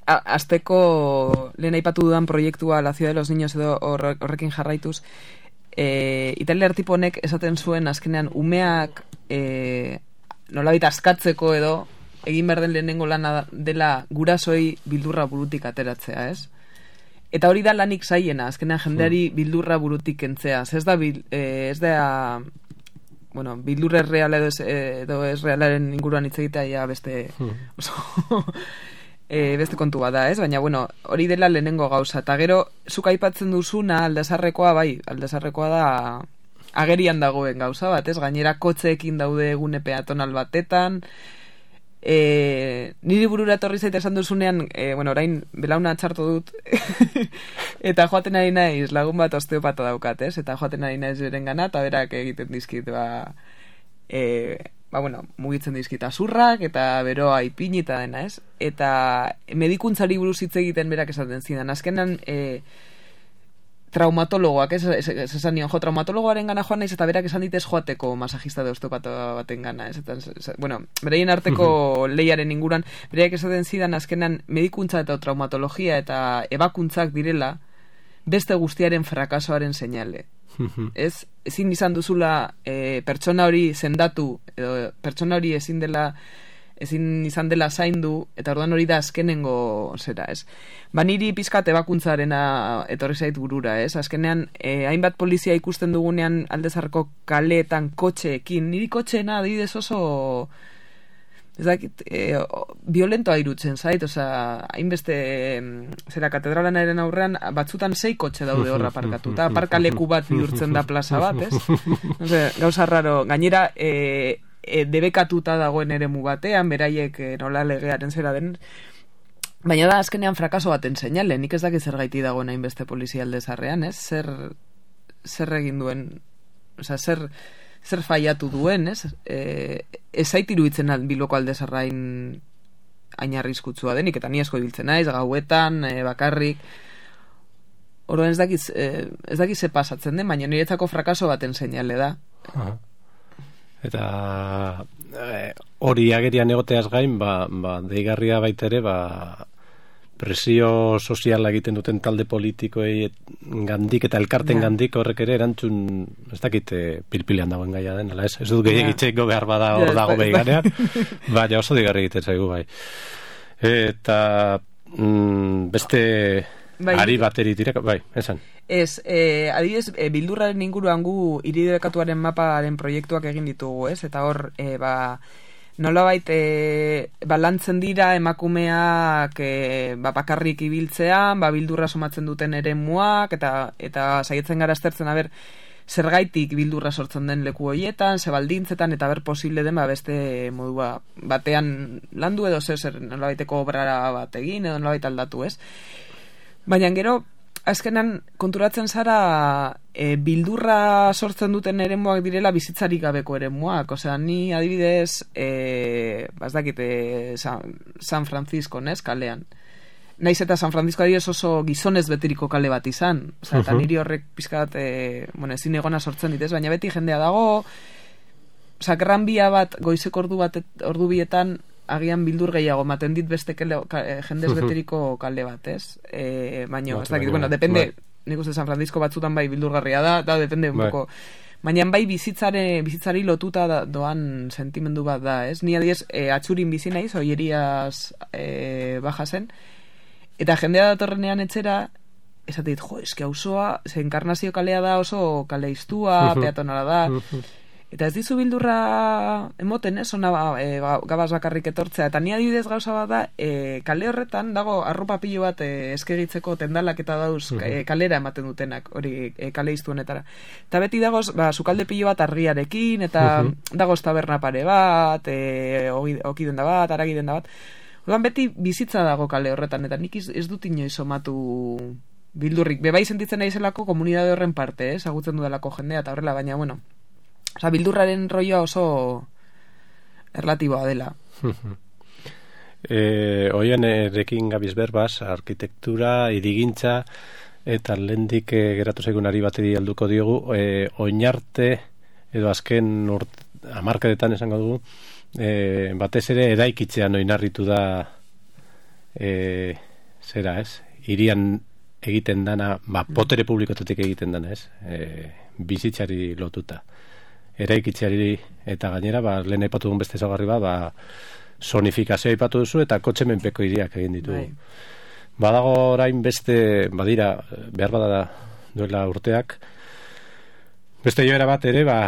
a, azteko lehen aipatu dudan proiektua La Ciudad de los Niños edo horre- horrekin jarraituz, eh, italiar tipo honek esaten zuen azkenean umeak eh, nolabait askatzeko edo egin behar den lehenengo lana da- dela gurasoei bildurra burutik ateratzea, ez? Eta hori da lanik zaiena, azkenean jendeari bildurra burutik kentzea. Ze Ez da, bil, eh, ez da bueno, bildur ez reala edo ez, edo ez realaren inguruan hitz egitea ja beste oso, e, beste kontu bada, ez? Baina, bueno, hori dela lehenengo gauza. Eta gero, zuk aipatzen duzuna, aldezarrekoa, bai, aldezarrekoa da agerian dagoen gauza bat, ez? Gainera kotxeekin daude egune peatonal batetan, e, niri burura etorri zaite esan duzunean, e, bueno, orain belauna txartu dut, eta joaten ari naiz lagun bat osteopata daukat, ez? Eta joaten ari naiz beren gana, eta berak egiten dizkit, ba, e, ba, bueno, mugitzen dizkit azurrak, eta beroa ipini eta dena, ez? Eta medikuntzari buruz hitz egiten berak esaten zidan. Azkenan, e, traumatologoak, ez, ez, ez esan nion, jo, traumatologoaren gana joan naiz, eta berak esan ditez joateko masajista de osteopata baten gana, ez, eta, ez, bueno, bereien arteko lehiaren inguruan, bereak esaten zidan azkenan medikuntza eta traumatologia eta ebakuntzak direla beste guztiaren frakasoaren seinale. Ez, ezin izan duzula e, pertsona hori sendatu, edo pertsona hori ezin dela ezin izan dela zaindu, eta orduan hori da azkenengo zera, ez? Ba, niri pizkat ebakuntzarena etorri zait burura, ez? Azkenean, eh, hainbat polizia ikusten dugunean aldezarko kaleetan kotxeekin, niri kotxeena adibidez oso ez dakit, eh, violentoa irutzen zait, osea, hainbeste zera katedralanaren aurrean batzutan sei kotxe daude horra aparkatuta, aparkaleku bat bihurtzen da plaza bat, ez? Ose, gauza raro, gainera eh, E, debekatuta dagoen eremu batean, beraiek e, nola legearen zera den, baina da azkenean frakaso baten seinale, nik ez dakit zer gaiti dagoen hainbeste polizia aldezarrean, ez? Zer, zer egin duen, osea, zer, zer faiatu duen, ez? E, ez zait iruditzen Bilboko aldezarrain hain arriskutsua denik, eta ni asko ibiltzen naiz, gauetan, e, bakarrik, orduan ez dakit, e, ez dakit ze pasatzen den, baina niretzako frakaso baten seinale da. Aha. Eta hori e, agerian egoteaz gain, ba, ba, deigarria baita ere, ba, presio soziala egiten duten talde politikoei gandik eta elkarten Ja. gandik horrek ere erantzun, ez dakit pilpilean dagoen gaia den, ala ez, ez dut gehiagitzeko behar bada hor Ja, ez dago da- ez da- behiganean, baina oso digarri egiten zaigu bai. Eta mm, beste Bai. ari bateri tiraka, bai, esan. Ez, eh, adibidez, eh, bildurraren inguruan gu iridekatuaren maparen proiektuak egin ditugu, ez? Eta hor, eh, ba, nolabait eh, balantzen dira emakumeak eh, ba, bakarrik ibiltzean, ba, bildurra somatzen duten eremuak, eta eta saiatzen gara aztertzen, aber, zergaitik bildurra sortzen den leku horietan, ze baldintzetan, eta ber posible den ba, beste modu ba, batean landu edo zer, zer nolabaiteko obrara bat egin, edo nolabait aldatu, ez? Baina gero, azkenan konturatzen zara e, bildurra sortzen duten eremuak direla bizitzarik gabeko eremuak. Osea, ni adibidez, e, bazdakit, e, San, San Francisco, nez, kalean. naiz eta San Francisco adibidez oso gizonez beteriko kale bat izan. Osea, eta Mhm. niri horrek pizkat, e, bueno, ezin egona sortzen ditez, baina beti jendea dago, osea, Granbia bat goizeko ordu bat ordu bietan agian bildur gehiago ematen dit beste kale, ka, e, jendez Mhm. beteriko kale bat, ez? E, baina, Bai, ez dakit, baina, bueno, depende, bai. nik uste San Francisco batzutan bai bildurgarria da, da depende un Bai. poco. Baina bai bizitzare, bizitzari lotuta da, doan sentimendu bat da, ez? Ni adiez, e, atxurin bizi naiz, oieriaz e, baja zen, eta jendea datorrenean etxera, esatit, jo, eske auzoa, ze enkarnazio kalea da oso kale iztua, Mhm. peatonala da, Mhm. eta ez dizu bildurra emoten, ez, ona e, ba- gabaz bakarrik etortzea, eta ni adibidez gauza bat da, e, kale horretan dago arropa pilo bat e, eskegitzeko tendalak eta dauz Mhm. e, kalera ematen dutenak, hori e, kale iztuenetara. Eta beti dagoz, ba, sukalde pilo bat argiarekin, eta Mhm. dagoz taberna pare bat, e, ogi- okiden da bat, aragiden da bat. Orduan beti bizitza dago kale horretan, eta nik ez, ez dut inoiz somatu bildurrik. Bebai sentitzen naizelako komunidade horren parte, ez, agutzen dudalako jendea, eta horrela, baina, bueno, oza, bildurraren rolloa oso erlatiboa dela. E, Oian erekin gabiz berbaz, arkitektura, hirigintza, eta lehendik e, geratu zaigunari bateri alduko diogu, e, oinarte, edo azken urt, hamarkadetan esango dugu, e, batez ere eraikitzean oinarritu da e, zera, ez? Hirian egiten dana, ba, botere publikotatik egiten dana, ez? E, bizitzari lotuta. Eraikitzeari eta gainera, ba, lehen aipatu duen beste ezaugarri bat, ba, sonifikazioa aipatu duzu eta kotxe menpeko hiriak egin ditugu. Bai. Badago orain beste, badira, behar bada duela urteak, beste joera bat ere, ba,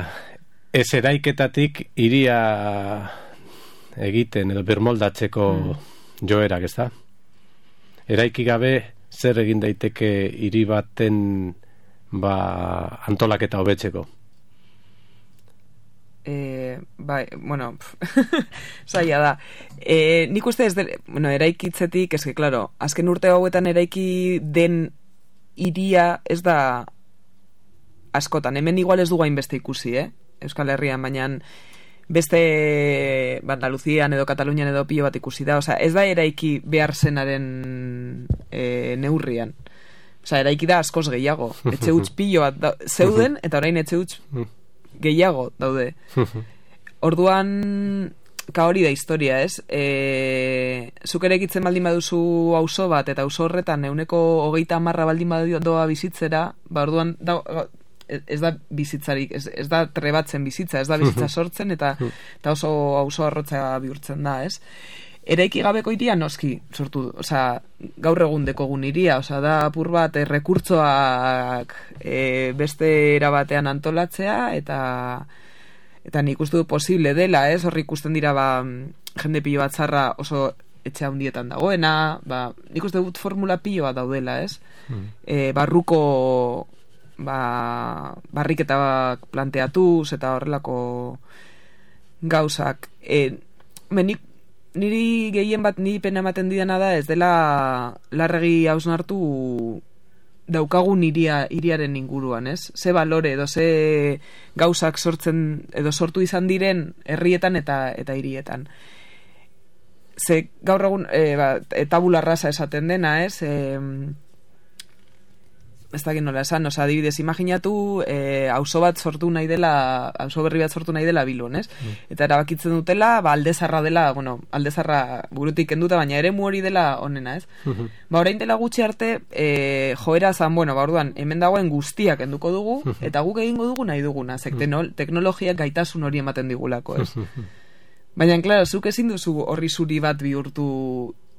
ez eraiketatik hiria egiten edo birmoldatzeko Mm. joerak, ez da? Eraiki gabe zer egin daiteke hiri baten ba, antolaketa hobetzeko? E, bai, bueno, zaila da. E, nik uste ez, de, bueno, eraikitzetik, eske, claro, azken urte hauetan eraiki den hiria ez da askotan. Hemen igual ez dugu hainbeste ikusi, eh? Euskal Herrian, baina beste Andaluzian edo Katalunian edo pilo bat ikusi da. Osea, ez da eraiki behar zenaren e, neurrian. Osea, eraiki da askoz gehiago. Etxe huts pilo bat da, zeuden, eta orain etxe huts gehiago daude. Orduan, ka hori da historia, ez? E, zuk ere egitzen baldin baduzu auzo bat, eta auzo horretan euneko hogeita hamarra baldin badoa bizitzera, ba orduan da, ez da bizitzarik, ez, ez da trebatzen bizitza, ez da bizitza sortzen, eta, eta oso auzo arrotza bihurtzen da, ez? Eraiki gabeko hiria noski sortu, osea, gaur egun dekogun hiria, osea, da apur bat errekurtzoak e, beste era batean antolatzea, eta eta nik uste du posible dela, ez? Horri ikusten dira, ba, jende pilo bat zarra oso etxe handietan dagoena, ba, nik uste dut formula pilo bat daudela, ez? Mm. E, barruko ba, barriketa planteatuz eta horrelako gauzak. E, nik niri gehien bat ni pena ematen didana da ez dela larregi hausnartu daukagun iria, iriaren inguruan, ez? Ze balore edo ze gauzak sortzen edo sortu izan diren herrietan eta eta hirietan. Ze gaur egun e, ba, tabula rasa esaten dena, ez? E, ez dakit nola esan, oza, adibidez, imaginatu e, auzo bat sortu nahi dela, auzo berri bat sortu nahi dela Bilbon, ez? Mm. Eta erabakitzen dutela, ba, aldezarra dela, bueno, aldezarra burutik kenduta, baina ere hori dela onena, ez? Mm-hmm. Ba, orain dela gutxi arte, e, joera zan, bueno, ba, orduan, hemen dagoen guztiak kenduko dugu, mm-hmm. eta guk egingo dugu nahi duguna, zek mm-hmm. teknologiak gaitasun hori ematen digulako, ez? Mm-hmm. Baina, klaro, zuk ezin duzu horri zuri bat bihurtu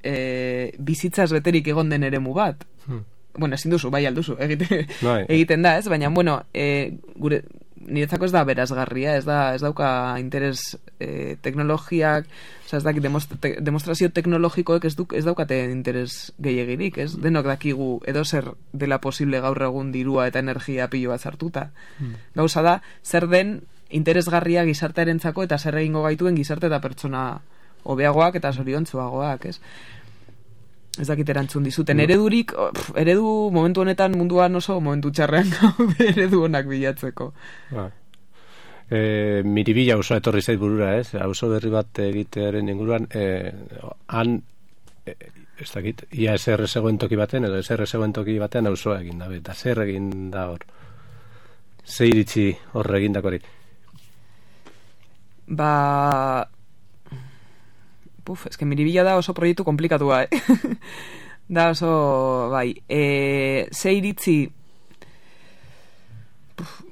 e, bizitzaz beterik egon den eremu bat. Mm. Bueno, ezin duzu, bai alduzu, egite, no, egiten da, ez? Baina, bueno, e, gure, niretzako ez da berazgarria, ez da, ez dauka interes e, teknologiak, oza, ez dakit, te, demostrazio teknologikoek ez, duk, ez daukate interes gehiagirik, ez? Denok dakigu edo zer dela posible gaur egun dirua eta energia pilo bat zartuta. Hmm. Gauza da, zer den interesgarria gizartearentzako eta zer egingo gaituen gizarte eta pertsona hobeagoak eta zoriontsuagoak, ez? Ez dakit erantzun dizuten. Eredurik, pf, eredu momentu honetan munduan oso momentu txarrean gaude eredu honak bilatzeko. Ba. E, miribila auzoa etorri zait burura, ez? Auzo berri bat egitearen inguruan, e, han e, ez dakit, ia ezer zegoen toki baten, edo ezer zegoen toki batean auzoa egin da, eta zer egin da hor? Ze iritzi horre egindakori? Ba... Puf, ez que Miribilla da oso proiektu komplikatua, eh? Da oso, bai, e, ze iritzi... Puf,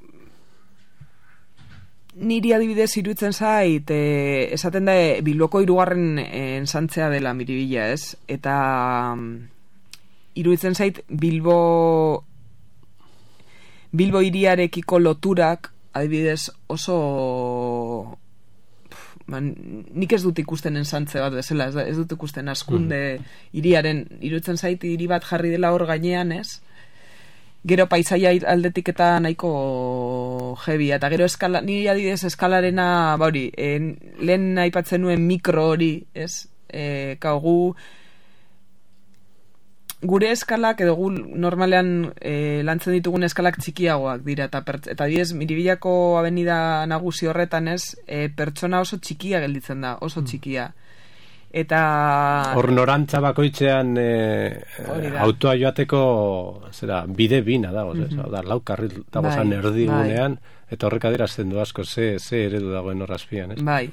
niri adibidez iruditzen zait, e, esaten da Bilboko hirugarren ensantzea dela Miribilla, ez? Eta iruditzen zait Bilbo Bilbo hiriarekiko loturak adibidez oso ba, nik ez dut ikusten ensantze bat bezala, ez, ez dut ikusten askunde hiriaren, iruditzen zait hiri bat jarri dela hor gainean, ez? Gero paisaia aldetik eta nahiko jebia, eta gero eskala, niri adibidez eskalarena, ba hori, en, lehen aipatzen nuen mikro hori, ez? E, kaugu gure eskalak edo gu normalean e, lantzen ditugun eskalak txikiagoak dira, eta, perts- eta diez, Miribillako avenida nagusi horretan, ez, e, pertsona oso txikia gelditzen da, oso txikia. Eta... Hor norantza bakoitzean e, autoa joateko zera, bide bina dago, mm-hmm. ez, da, lau karril dago zan bai, erdigunean, bai. Eta horrek adierazten du asko, ze, ze eredu dagoen horrazpian, ez? Bai.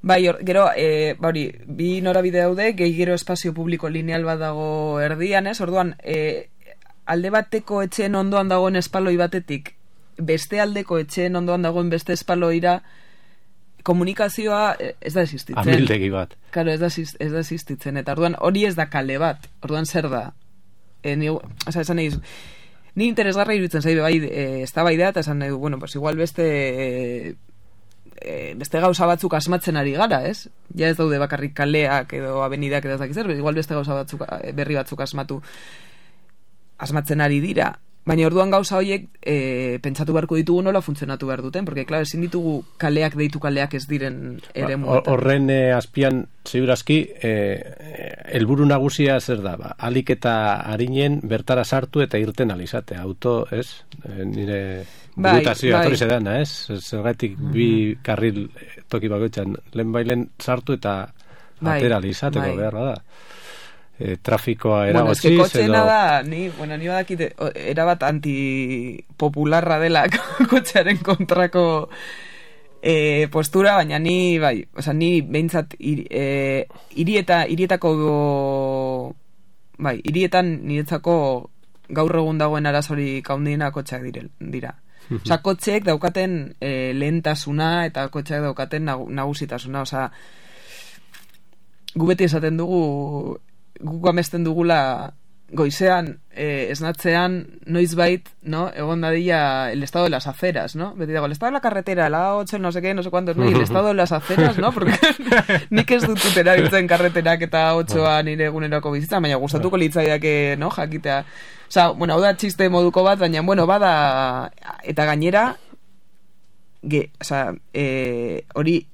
Bai, or, gero, e, bauri, bi norabide daude, gehi gero espazio publiko lineal bat dago erdian, ez? Orduan, e, alde bateko etxeen ondoan dagoen espaloi batetik, beste aldeko etxeen ondoan dagoen beste espaloira, komunikazioa ez da existitzen. Amildegi bat. Claro, ez da, ez da existitzen. Eta orduan, hori ez da kale bat. Orduan, zer da? E, ni, oza, esan nahi, ni interesgarra iruditzen zaibe, bai, e, ez da bai da, eta esan nahi, bueno, pues igual beste... E, beste gauza batzuk asmatzen ari gara, ez? Ja ez daude bakarrik kaleak edo avenidak edo ez dakiz zer, igual beste gauza batzuk, berri batzuk asmatu asmatzen ari dira. Baina orduan gauza horiek e, pentsatu beharko ditugu nola funtzionatu behar duten, porque, claro, ezin ditugu kaleak deitu kaleak ez diren ere muetan. Horren e, azpian, segurazki, helburu e, nagusia zer da, ba, alik eta harinen bertara sartu eta irten alizate, auto, ez? E, nire burutazioa bai, bai. Zedana, ez? Zergatik mm-hmm. bi karril toki bakoitzan, lehen bailen sartu eta bai, atera alizateko bai. Beharra da. E, trafikoa eragotziz bueno, edo... Bueno, da, ni, bueno, ni badakite, erabat antipopularra dela kotxearen kontrako e, postura, baina ni, bai, oza, ni behintzat iri, e, irieta, irietako bai, irietan niretzako gaur egun dagoen arazori kaundiena kotxeak direl, dira. Osa, kotxeek daukaten e, lehentasuna eta kotxeak daukaten nagusitasuna, oza, gu beti esaten dugu guk amesten dugula goizean, eh, esnatzean, noizbait, ¿no? Egon dadila el estado de las aceras, ¿no? Beti dago, el estado de la carretera, la ocho, no sé qué, no sé cuántos, ¿no? Y el estado de las aceras, ¿no? Porque nik ez dut utera biltzen karreterak eta otxoa nire egunerako bizitza, baina gustatuko litzaiake, ¿no? Jakitea. Osa, bueno, hau da txiste moduko bat, baina, bueno, bada, eta gainera, ge, osa, eh, hori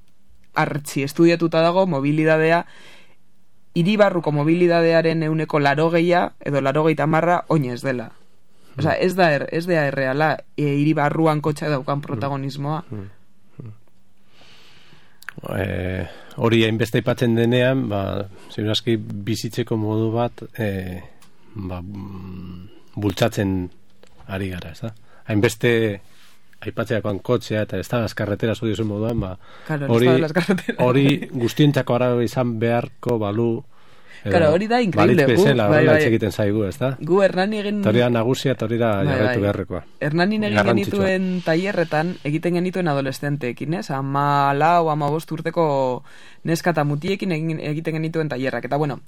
artzi estudiatuta dago, mobilidadea, hiribarruko mobilidadearen euneko larogeia edo larogeita marra oinez dela. Osa, ez da er, ez da erreala e, hiribarruan kotxa daukan protagonismoa. Eh, hori hainbeste aipatzen denean, ba, segurazki bizitzeko modu bat e, ba, bultzatzen ari gara, ez da? Hainbeste aipatzeakoan kotxea eta ez da las carreteras odiozen moduan, ba, claro, hori, hori guztientzako ara izan beharko balu claro, hori da increíble. Balitz bezala, bai, bai. Egiten zaigu, ez da? Gu Hernani egin... Hori da nagusia eta hori da bai, jarretu bai. Beharrekoa. Hernanin egin genituen tailerretan, egiten genituen adolescenteekin, ez? Ama lau, ama bost urteko neska eta mutiekin egin, egiten genituen tailerrak. Eta bueno,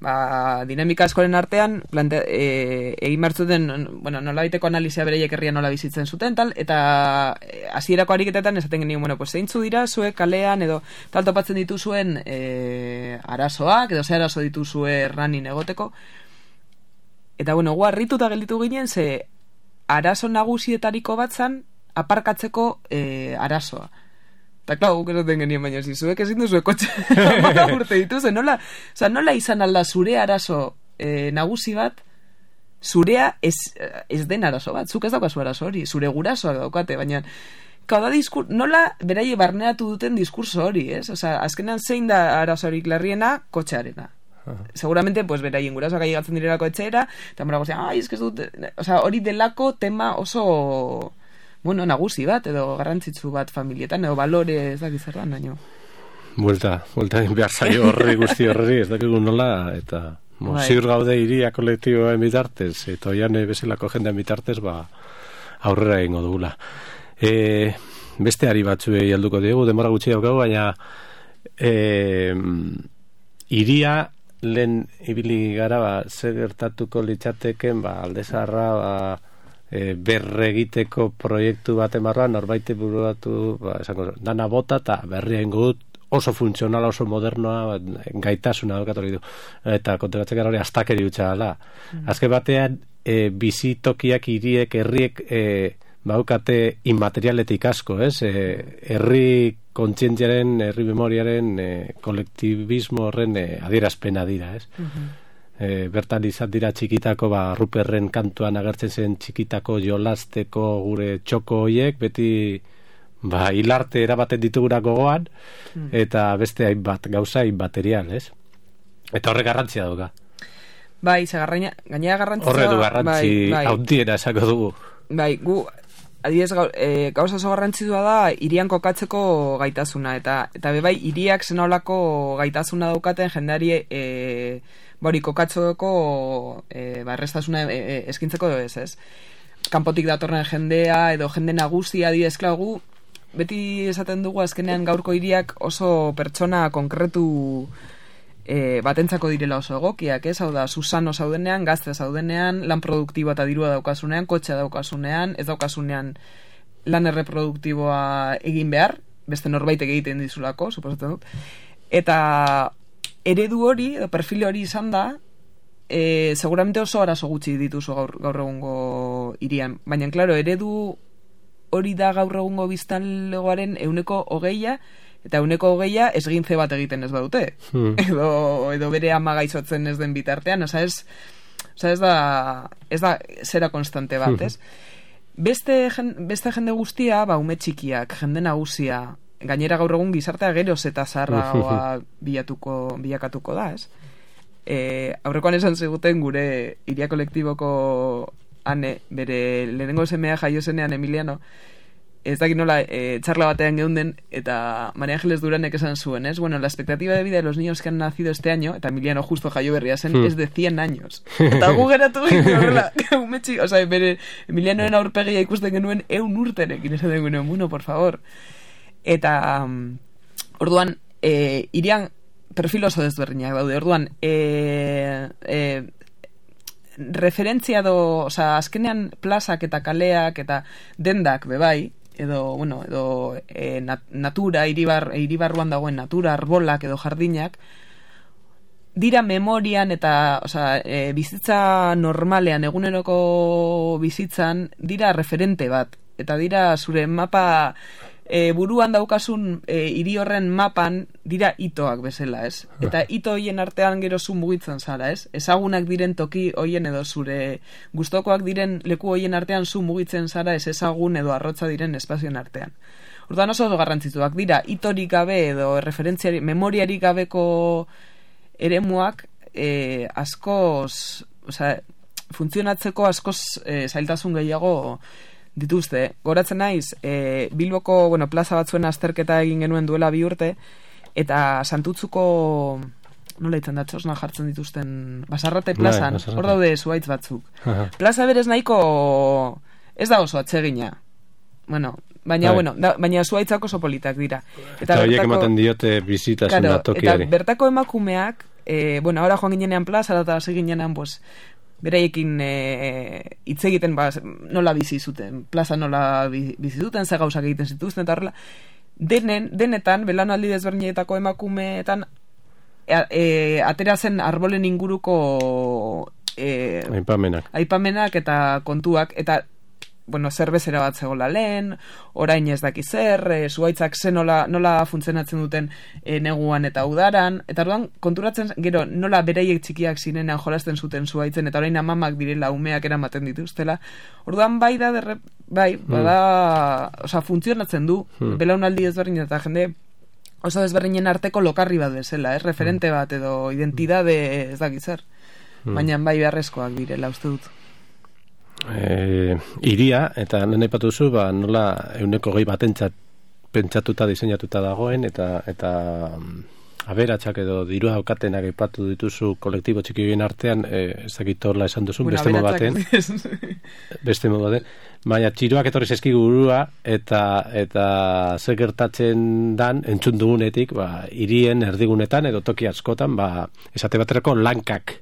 ba, dinamika askoren artean plante, e, egin bertzuten, bueno, nola biteko analizia bereiek herria nola bizitzen zuten, tal, eta hasierako ariketetan esaten genien, bueno, pues zeintzu dira, zuek kalean, edo tal topatzen dituzuen e, arazoak, edo ze arazo dituzue Hernanin egoteko, eta bueno, gu harrituta gelditu ginen, ze arazo nagusietariko batzan aparkatzeko e, arazoa. Eta klar, guk esaten genien, baina zizuek ezin duzuek kotxe mara urte dituzen, nola, oza, nola izan alda zure arazo e, nagusi bat, zurea ez, ez den arazo bat, zuk ez daukazu arazo hori, zure gurasoak daukate, baina kauda diskur, nola beraie barneatu duten diskurso hori, ez? Oza, azkenean zein da arazorik larriena, kotxearena. seguramente, pues, beraien gurasoak ailegatzen direlako etxera, eta morago zean, ai, ez dut, osea, hori delako tema oso, bueno, nagusi bat, edo garrantzitsu bat familietan, edo balore, ez dakiz zer da, baino. Buelta, buelta egin behar zaio horri guzti horri, ez dakigu nola, eta mo, bai. Ziur gaude iria kolektiboen bitartez, eta oian bezalako jendean bitartez, ba, aurrera egingo dugula. E, beste ari batzuei helduko diegu, denbora gutxi daukagu, baina e, iria lehen ibili gara, ba, zer gertatuko litzateken, ba, alde zaharra, ba, e, berregiteko proiektu bat emarroan, norbaite buruatu, ba, esango, dana bota, eta berria ingut, oso funtzionala, oso modernoa, gaitasuna daukatori du. Eta konturatzen gara hori astakeri utxa dela. Mm. Azken batean, e, bizitokiak, hiriek, herriek, e, baukate inmaterialetik asko, ez? E, herri kontzientziaren, herri memoriaren, e, kolektibismo horren e, adierazpena dira, ez? Mm-hmm. E, bertan izan dira txikitako, ba, Ruperren kantuan agertzen zen txikitako jolasteko gure txoko hoiek, beti ba, hilarte erabaten ditugura gogoan, mm. eta beste hainbat gauza inmaterial, ez? Eta horre garrantzia dauka. Bai, ze garraina, gainera garrantzia... Horre du garrantzi bai, bai. Hauntiena esako dugu. Bai, gu, adiez, e, gauza oso garrantzitsua da, irian kokatzeko gaitasuna, eta eta bebai, iriak zenolako gaitasuna daukaten jendeari e, bori kokatzeko e, ba, errestasuna e, e, eskintzeko edo ez, ez? Kanpotik datorren jendea, edo jende nagusia, adiez, klar, gu, beti esaten dugu azkenean gaurko hiriak oso pertsona konkretu e, batentzako direla oso egokiak, ez? Hau da, susano zaudenean, gazte zaudenean, lan produktiboa eta dirua daukasunean, kotxea daukasunean, ez daukasunean lan erreproduktiboa egin behar, beste norbaitek egiten dizulako, suposatzen dut. Eta eredu hori, edo perfil hori izan da, e, seguramente oso arazo gutxi dituzu gaur, gaur egungo hirian. Baina, klaro, eredu hori da gaur egungo biztanlegoaren euneko hogeia, eta euneko hogeia esgintze bat egiten ez badute. Hmm. Edo, edo bere ama gaizotzen ez den bitartean, oza ez, oza ez da, ez da zera konstante bat, ez? Beste, jen, beste jende guztia, ba, ume txikiak, jende nagusia, gainera gaur egun gizartea geroz eta zarragoa bilatuko, bilakatuko da, ez? E, aurrekoan esan ziguten gure iria kolektiboko ane, bere lehenengo semea jaio zenean Emiliano, ez dakit nola e, txarla batean geunden, eta María Ángeles Duranek esan zuen, ez? Bueno, la expectativa de vida de los niños que han nacido este año, eta Emiliano justo jaio berria zen, hmm. es de cien años. Eta gu geratu ginen horrela, umetxi, o sea, bere Emilianoen aurpegia ikusten genuen eun urtenekin, ez den genuen, bueno, por favor. Eta, um, orduan, e, irian perfil oso desberdinak daude, orduan, e, e, referentzia do, oza, azkenean plazak eta kaleak eta dendak bebai, edo, bueno, edo e, nat, natura, iribar, iribarruan dagoen natura, arbolak edo jardinak, dira memorian eta, oza, e, bizitza normalean, eguneroko bizitzan, dira referente bat, eta dira zure mapa... E, buruan daukasun e, hiri horren mapan dira itoak bezala, ez? Eta ito hoien artean gero zu mugitzen zara, ez? Ezagunak diren toki hoien edo zure gustokoak diren leku hoien artean zu mugitzen zara, ez ezagun edo arrotza diren espazioen artean. Orduan oso garrantzitsuak dira, itorik gabe edo referentziari, memoriarik gabeko eremuak e, askoz, osea, funtzionatzeko askoz e, zailtasun gehiago dituzte. Goratzen naiz, e, Bilboko, bueno, plaza batzuen azterketa egin genuen duela bi urte, eta Santutzuko, nola ditzen da, txosna jartzen dituzten, Basarrate plazan, bai, hor daude zuaitz batzuk. Aha. Plaza berez nahiko, ez da oso atsegina. Bueno, baina, bai. bueno, da, baina zuaitzak oso politak dira. Eta horiek ematen diote bizitasun claro, tokiari. Eta bertako emakumeak, e, bueno, ahora joan ginenean plaza, eta hasi ginenean, pues, beraiekin hitz e, egiten ba, nola bizi zuten, plaza nola bizi zuten, ze gauzak egiten zituzten, eta horrela, denen, denetan, belanaldi desberdinetako emakumeetan, e, e, atera zen arbolen inguruko e, aipamenak. aipamenak eta kontuak, eta bueno, zerbezera bat zegoela lehen, orain ez daki zer, e, zuaitzak ze nola, nola funtzionatzen duten e, neguan eta udaran, eta orduan konturatzen gero nola beraiek txikiak zinenean jolasten zuten zuaitzen, eta orain amamak direla umeak eramaten dituztela. Orduan bai da, derre, bai, bada, mm. osea, funtzionatzen du, mm. belaunaldi ezberdin eta jende oso desberdinen arteko lokarri bat bezala, ez? Referente bat edo identidade ez dakit zer. Mm. Baina bai beharrezkoak direla uste dut. E, iria, eta nena ipatu duzu, ba, nola euneko gehi batentzat pentsatuta, diseinatuta dagoen, eta eta aberatsak edo dirua daukatenak aipatu dituzu kolektibo txikien artean, e, ez dakit horla esan duzu, bueno, beste modu baten. beste modu baten. Baina txiroak etorri zezki burua, eta eta ze gertatzen dan, entzun dugunetik, ba, hirien erdigunetan, edo toki askotan, ba, esate baterako lankak.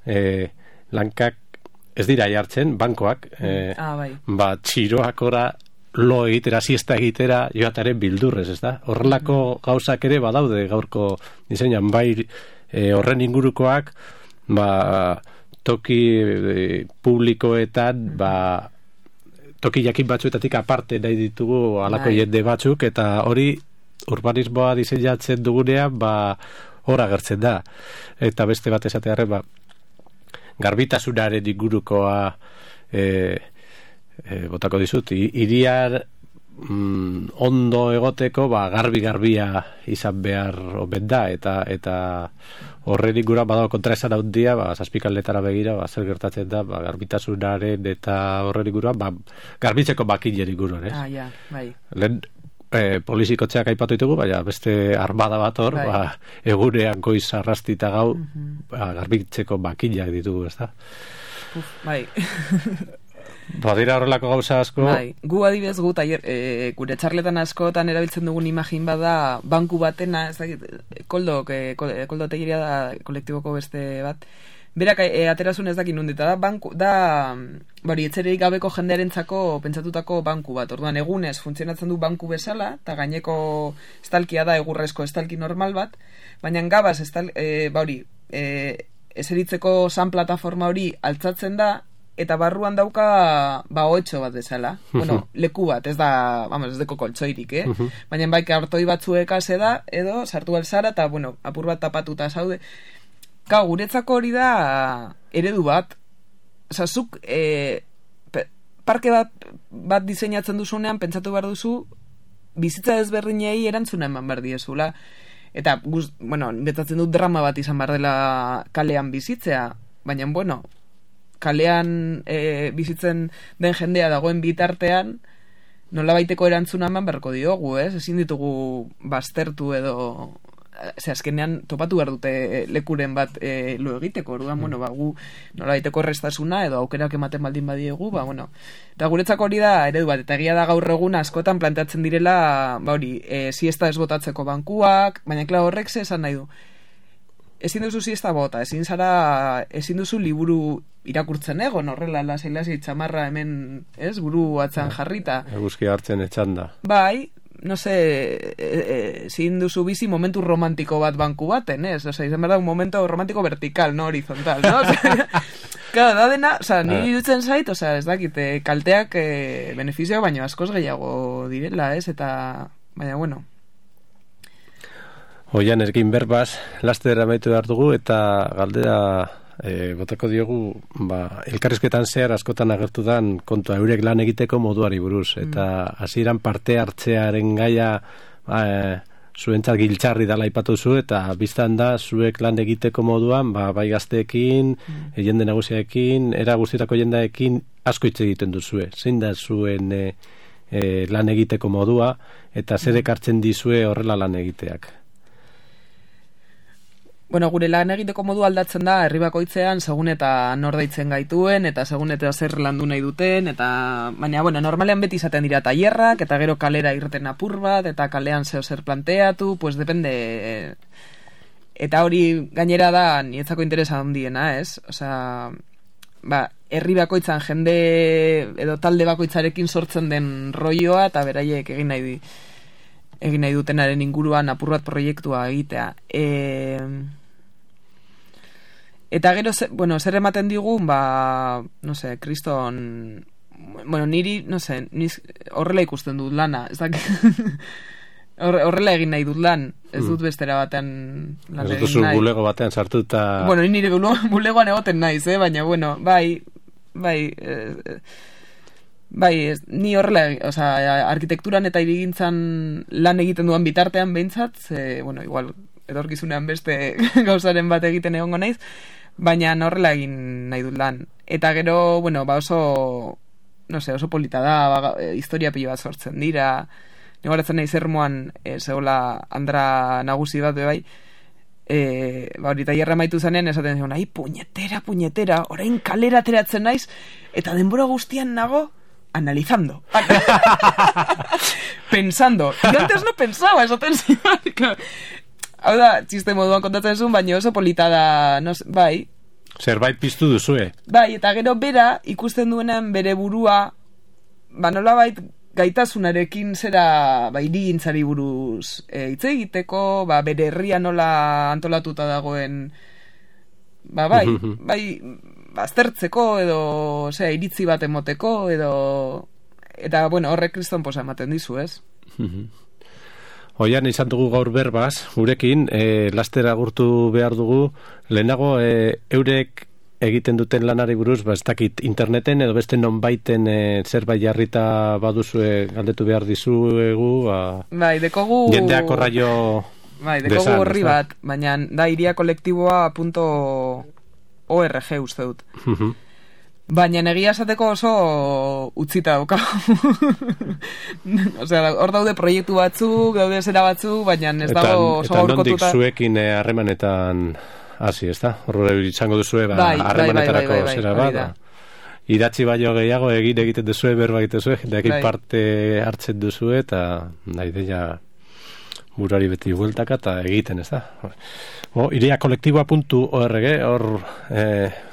E, lankak ez dira jartzen, bankoak, e, ah, bai. ba, txiroak ora lo egitera, siesta egitera, joataren bildurrez, ez da? Horrelako gauzak ere badaude gaurko diseinan, bai e, horren ingurukoak, ba, toki e, publikoetan, ba, toki jakin batzuetatik aparte nahi ditugu alako bai. Jende batzuk, eta hori urbanismoa diseinatzen dugunean, ba, hor agertzen da. Eta beste bat esatearren, ba, garbitasunaren ingurukoa e, e, botako dizut, iriar mm, ondo egoteko, ba, garbi-garbia izan behar omen da, eta eta horren ingura badago kontraesan handia, ba, zazpikalletara begira, ba, zer gertatzen da, ba, garbitasunaren eta horren ingura, ba, garbitzeko bakinen inguruan, ez? Ah, ja, bai. Lehen, e, polizikotxeak aipatu ditugu, baina beste armada bat hor, bai. Ba, egunean goiz arrastita gau, mm-hmm. ba, garbitzeko bakinak ditugu, ez da? Uf, bai. Badira horrelako gauza asko. Bai, gu adibidez gu taier, e, gure txarletan askotan erabiltzen dugun imagin bada banku batena, ez dakit, koldo, e, koldo tegiria da kolektiboko beste bat. Berak e, aterazun ez dakit nundita da, banku, da, bari, etxererik gabeko jendearentzako pentsatutako banku bat. Orduan, egunez funtzionatzen du banku bezala, eta gaineko estalkia da egurrezko estalki normal bat, baina gabaz, estal, e, bari, e, eseritzeko san plataforma hori altzatzen da, eta barruan dauka ba oetxo bat bezala. Bueno, leku bat, ez da, vamos, ez deko koltsoirik, eh? Uh-huh. Baina bai kartoi batzueka ze da, edo sartu alzara, eta, bueno, apur bat tapatuta zaude. Ka, guretzako hori da eredu bat. Osa, zuk e, pe, parke bat, bat diseinatzen duzunean, pentsatu behar duzu, bizitza ezberdinei erantzuna eman behar diezula. Eta, guz, bueno, betatzen dut drama bat izan behar dela kalean bizitzea, baina, bueno, kalean e, bizitzen den jendea dagoen bitartean nola baiteko erantzuna eman beharko diogu, ez? Ezin ditugu baztertu edo ze azkenean topatu behar dute lekuren bat e, lo egiteko, orduan, mm. bueno, ba, gu nola baiteko errestasuna edo aukerak ematen baldin badiegu, ba, bueno, eta guretzako hori da eredu bat, eta egia da gaur egun askotan planteatzen direla, ba hori, e, siesta ez botatzeko bankuak, baina klar horrek ze esan nahi du. Ezin duzu siesta bota, ezin zara, ezin duzu liburu irakurtzen egon, horrela lasai-lasai txamarra hemen, ez, buru atzan jarrita. Eguzki hartzen etxan da. Bai, no se, ezin duzu bizi momentu romantiko bat banku baten, ez? Osa, izan behar da un momento romantiko vertical, no horizontal, no? Claro, da dena, osa, niri dutzen zait, osa, ez dakit, kalteak eh, benefizio baino askoz gehiago direla, ez? Eta, baina, bueno, Oian ergin berbaz, laster amaitu behar dugu, eta galdera e, botako diogu, ba, elkarrizketan zehar askotan agertu dan kontua eurek lan egiteko moduari buruz, eta hasieran parte hartzearen gaia ba, e, zuentzat giltzarri dala ipatu zu, eta biztan da zuek lan egiteko moduan, ba, bai gazteekin, mm. jende nagusiaekin, era guztietako jendaekin asko hitz egiten duzue. Zein da zuen e, e, lan egiteko modua, eta zer ekartzen dizue horrela lan egiteak? Bueno, gure lan egiteko modu aldatzen da herri bakoitzean segun eta nor deitzen gaituen eta segun eta zer landu nahi duten eta baina bueno, normalean beti izaten dira tailerrak eta gero kalera irten apur bat eta kalean zeo zer planteatu, pues depende. Eta hori gainera da nietzako interesa handiena, ez? Osea, ba, herri bakoitzan jende edo talde bakoitzarekin sortzen den rolloa eta beraiek egin nahi di egin nahi dutenaren inguruan apur bat proiektua egitea. E... Eta gero, ze, bueno, zer ematen digun, ba, no se, kriston, bueno, niri, no se, niz, horrela ikusten dut lana, ez dakit, horrela egin nahi dut lan, ez dut bestera batean lan egin nahi. Ez duzu bulego batean sartuta... Bueno, nire bulegoan egoten naiz, eh? Baina, bueno, bai, bai... Eh, Bai, ez, ni horrela, osea, arkitekturan eta hirigintzan lan egiten duan bitartean behintzat, ze, bueno, igual, etorkizunean beste gauzaren bat egiten egongo naiz, baina horrela egin nahi dut lan. Eta gero, bueno, ba oso, no sé, oso polita da, ba, historia pilo bat sortzen dira, nigoratzen nahi zermoan, e, zegoela Andra nagusi bat, bai, e, ba, hori tailerra maitu zanen, esaten zion, ai, puñetera, puñetera, orain kalera ateratzen naiz, eta denbora guztian nago, analizando. Pensando. Yo antes no pensaba, eso te claro. Hau da, txiste moduan kontatzen zuen, baina oso polita da, no, bai. Zerbait piztu duzue. Bai, eta gero bera ikusten duenean bere burua, ba nolabait gaitasunarekin zera ba, hirigintzari buruz e, hitz egiteko, ba, bere herria nola antolatuta dagoen, ba bai, bai, aztertzeko edo, osea, iritzi bat emoteko edo, eta bueno, horrek kriston posa ematen dizu, ez? Oian izan dugu gaur berbaz, gurekin, e, laster agurtu behar dugu, lehenago e, eurek egiten duten lanari buruz, ba, ez dakit interneten edo beste nonbaiten e, zerbait jarrita baduzue galdetu behar dizuegu, ba, bai, dekogu jendeak horraio bai, dekogu horri bat, baina da iriakolektiboa punto org uste dut. Baina egia esateko oso utzita dauka. Osea, hor daude proiektu batzuk, daude zera batzuk, baina ez dago oso gaurkotuta. Eta nondik zuekin harremanetan hasi, ez da? Horre izango duzue, ba, harremanetarako bai, bai, bai, bai, zera bat. Ba. Idatzi baino gehiago egin egiten duzue, berba egiten duzue, jendeakin bai. Parte hartzen duzue, eta nahi deia burari beti bueltaka eta egiten, ez da? O, iriakolektiboa puntu org, hor e,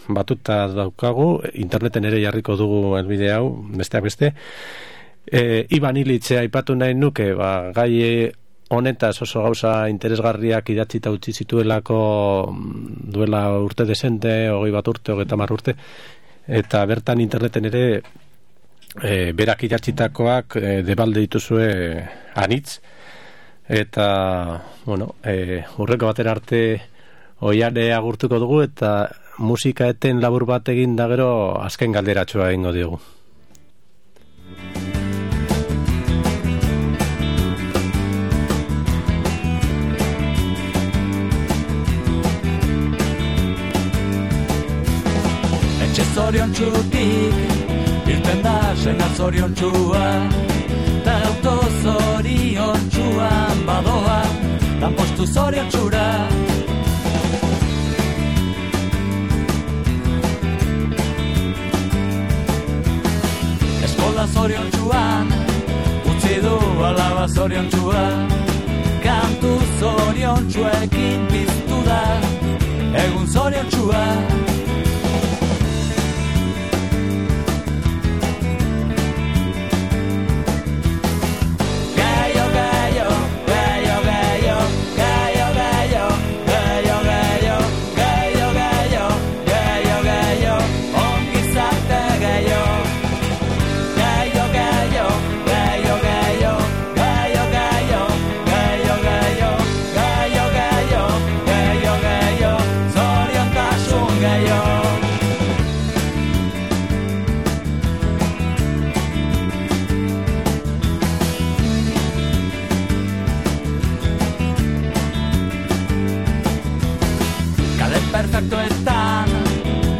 batuta daukagu, interneten ere jarriko dugu elbide hau, besteak beste. E, Iban Ilitze aipatu nahi nuke, ba, gai honetaz oso gauza interesgarriak idatzita utzi zituelako duela urte desente, hogei bat urte, hogeita hamar urte, eta bertan interneten ere e, berak idatzitakoak e, debalde dituzue anitz, eta, bueno, e, urreko batera arte oiane agurtuko dugu, eta musika eten labur bat egin da gero azken galderatxoa egingo diogu. Etxe zorion txutik irten da sena zorion txua, ta auto zorion txuan badoa, ta postu zorion txura. Eskola zorion txuan, utzi du alaba zorion txua, kantu zorion txuekin piztu da, egun zorion txua. Perfektuetan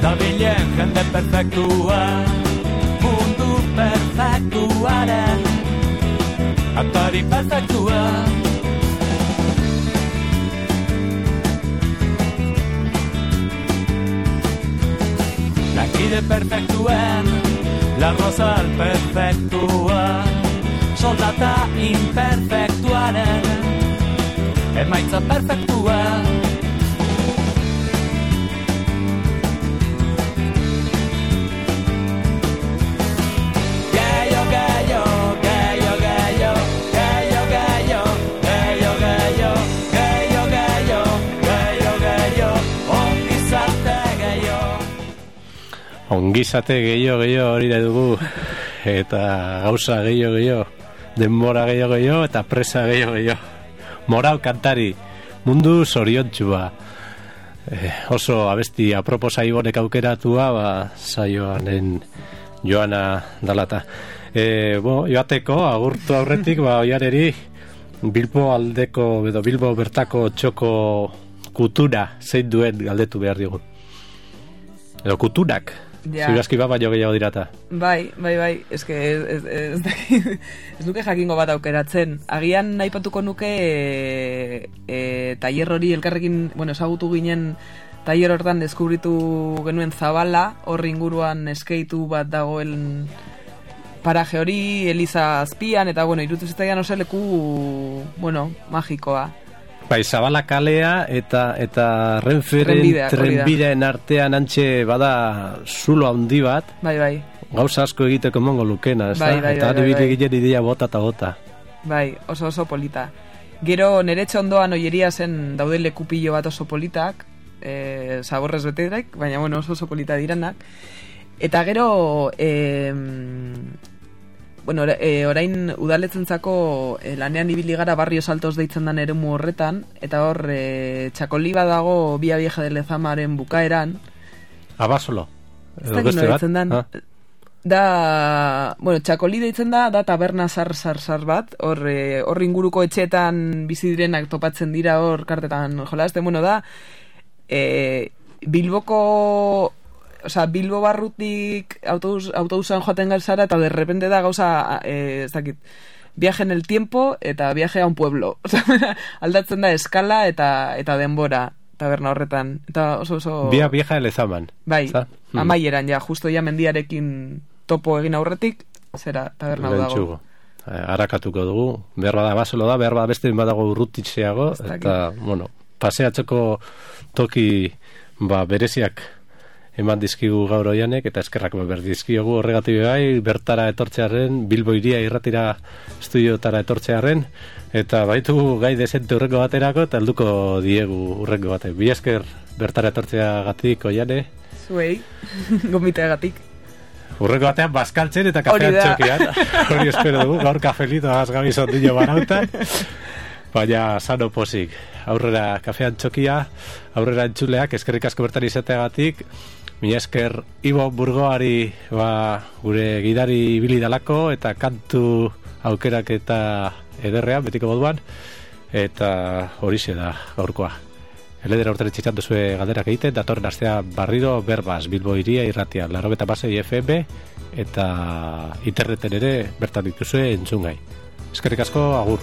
dabilen jende perfektua, mundu perfektuaren atari perfektua. Lakide perfektuen larrozal perfektua, soldata imperfektuaren emaitza perfektua. Ongizate gehiago gehiago hori da dugu, eta gauza gehiago gehiago, denbora gehiago gehiago, eta presa gehiago gehiago. Morau kantari, mundu zoriontxua. Eh, oso abesti aproposa ibonek aukeratua, ba, saioanen Joana dalata. E, bo, joateko, agurtu aurretik, ba, oiareri Bilbo aldeko, edo Bilbo bertako txoko kutura zein duen galdetu behar digu. Edo kuturak, Ja. ziurazki bat baino gehiago dirata. Bai, bai, bai, eske ez, ez, ez, ez, ez nuke jakingo bat aukeratzen. Agian aipatuko nuke e, e, tailer hori elkarrekin, bueno, ezagutu ginen tailer hortan deskubritu genuen Zabala, hor inguruan eskeitu bat dagoen paraje hori, Eliza azpian, eta bueno, irutu zitzaidan oso leku, bueno, magikoa. Bai, Zabala kalea eta eta Renferen Trenbideak, hori da. trenbideen artean antxe bada zulo handi bat, Bai, bai, gauza asko egiteko mongo lukena, ez da? Bai, bai, Eta bai, bai, ari bai. ginen ideia bota eta bota. bai, oso oso polita. Gero nere ondoan oieria zen daude lekupillo bat oso politak, e, zaborrez beteraik, baina bueno, oso oso polita diranak. Eta gero, e, bueno, e, orain udaletzentzako e, lanean ibili gara Barrios Altos deitzen dan eremu horretan, eta hor e, txakoli bat dago Via Vieja de Lezamaren bukaeran. Abasolo. Ez dakit nola deitzen dan. Ah. Da, bueno, txakoli deitzen da, da taberna zar-zar-zar bat, hor, e, hor inguruko etxeetan bizi direnak topatzen dira hor kartetan jolazten, bueno, da, e, Bilboko, osea, Bilbo barrutik autobus, autobusan joaten garzara, eta de repente da gauza, e, ez dakit, viaje en el tiempo eta viaje a un pueblo. Osea, aldatzen da eskala eta eta denbora taberna horretan. Eta oso oso... Via Vieja de Lezaman. Bai, Za? Hmm. amaieran ja, justo ja mendiarekin topo egin aurretik, zera taberna hau dago. Lehentxugo. Arakatuko dugu, behar bada basolo da, behar bada beste badago urrutitzeago, Ez dakit. eta, bueno, paseatzeko toki ba, bereziak eman dizkigu gaur oianek, eta eskerrak berdizkiogu horregatik bai, bertara etortzearen, Bilbo iria irratira estudiotara etortzearen, eta baitu gai desente urrengo baterako, eta helduko diegu urrengo batek. Bi esker bertara etortzeagatik oiane, Zuei, gomiteagatik. urrengo batean bazkaltzen eta Hori kafean da. txokian. Hori espero dugu, gaur kafelito azgabiz ondino barautan. Baina sano posik. Aurrera kafean txokia, aurrera entzuleak, eskerrik asko bertan izateagatik. Mila esker Ibo Burgoari ba, gure gidari ibili dalako, eta kantu aukerak eta ederrean, betiko moduan. Eta horixe da gaurkoa. Eledera urtaren txitzan duzue galderak egiten, datorren astea barriro berbaz, Bilbo iria irratia, larrogeta basei F M, eta interneten ere bertan dituzue entzungai. Eskerrik asko, agur.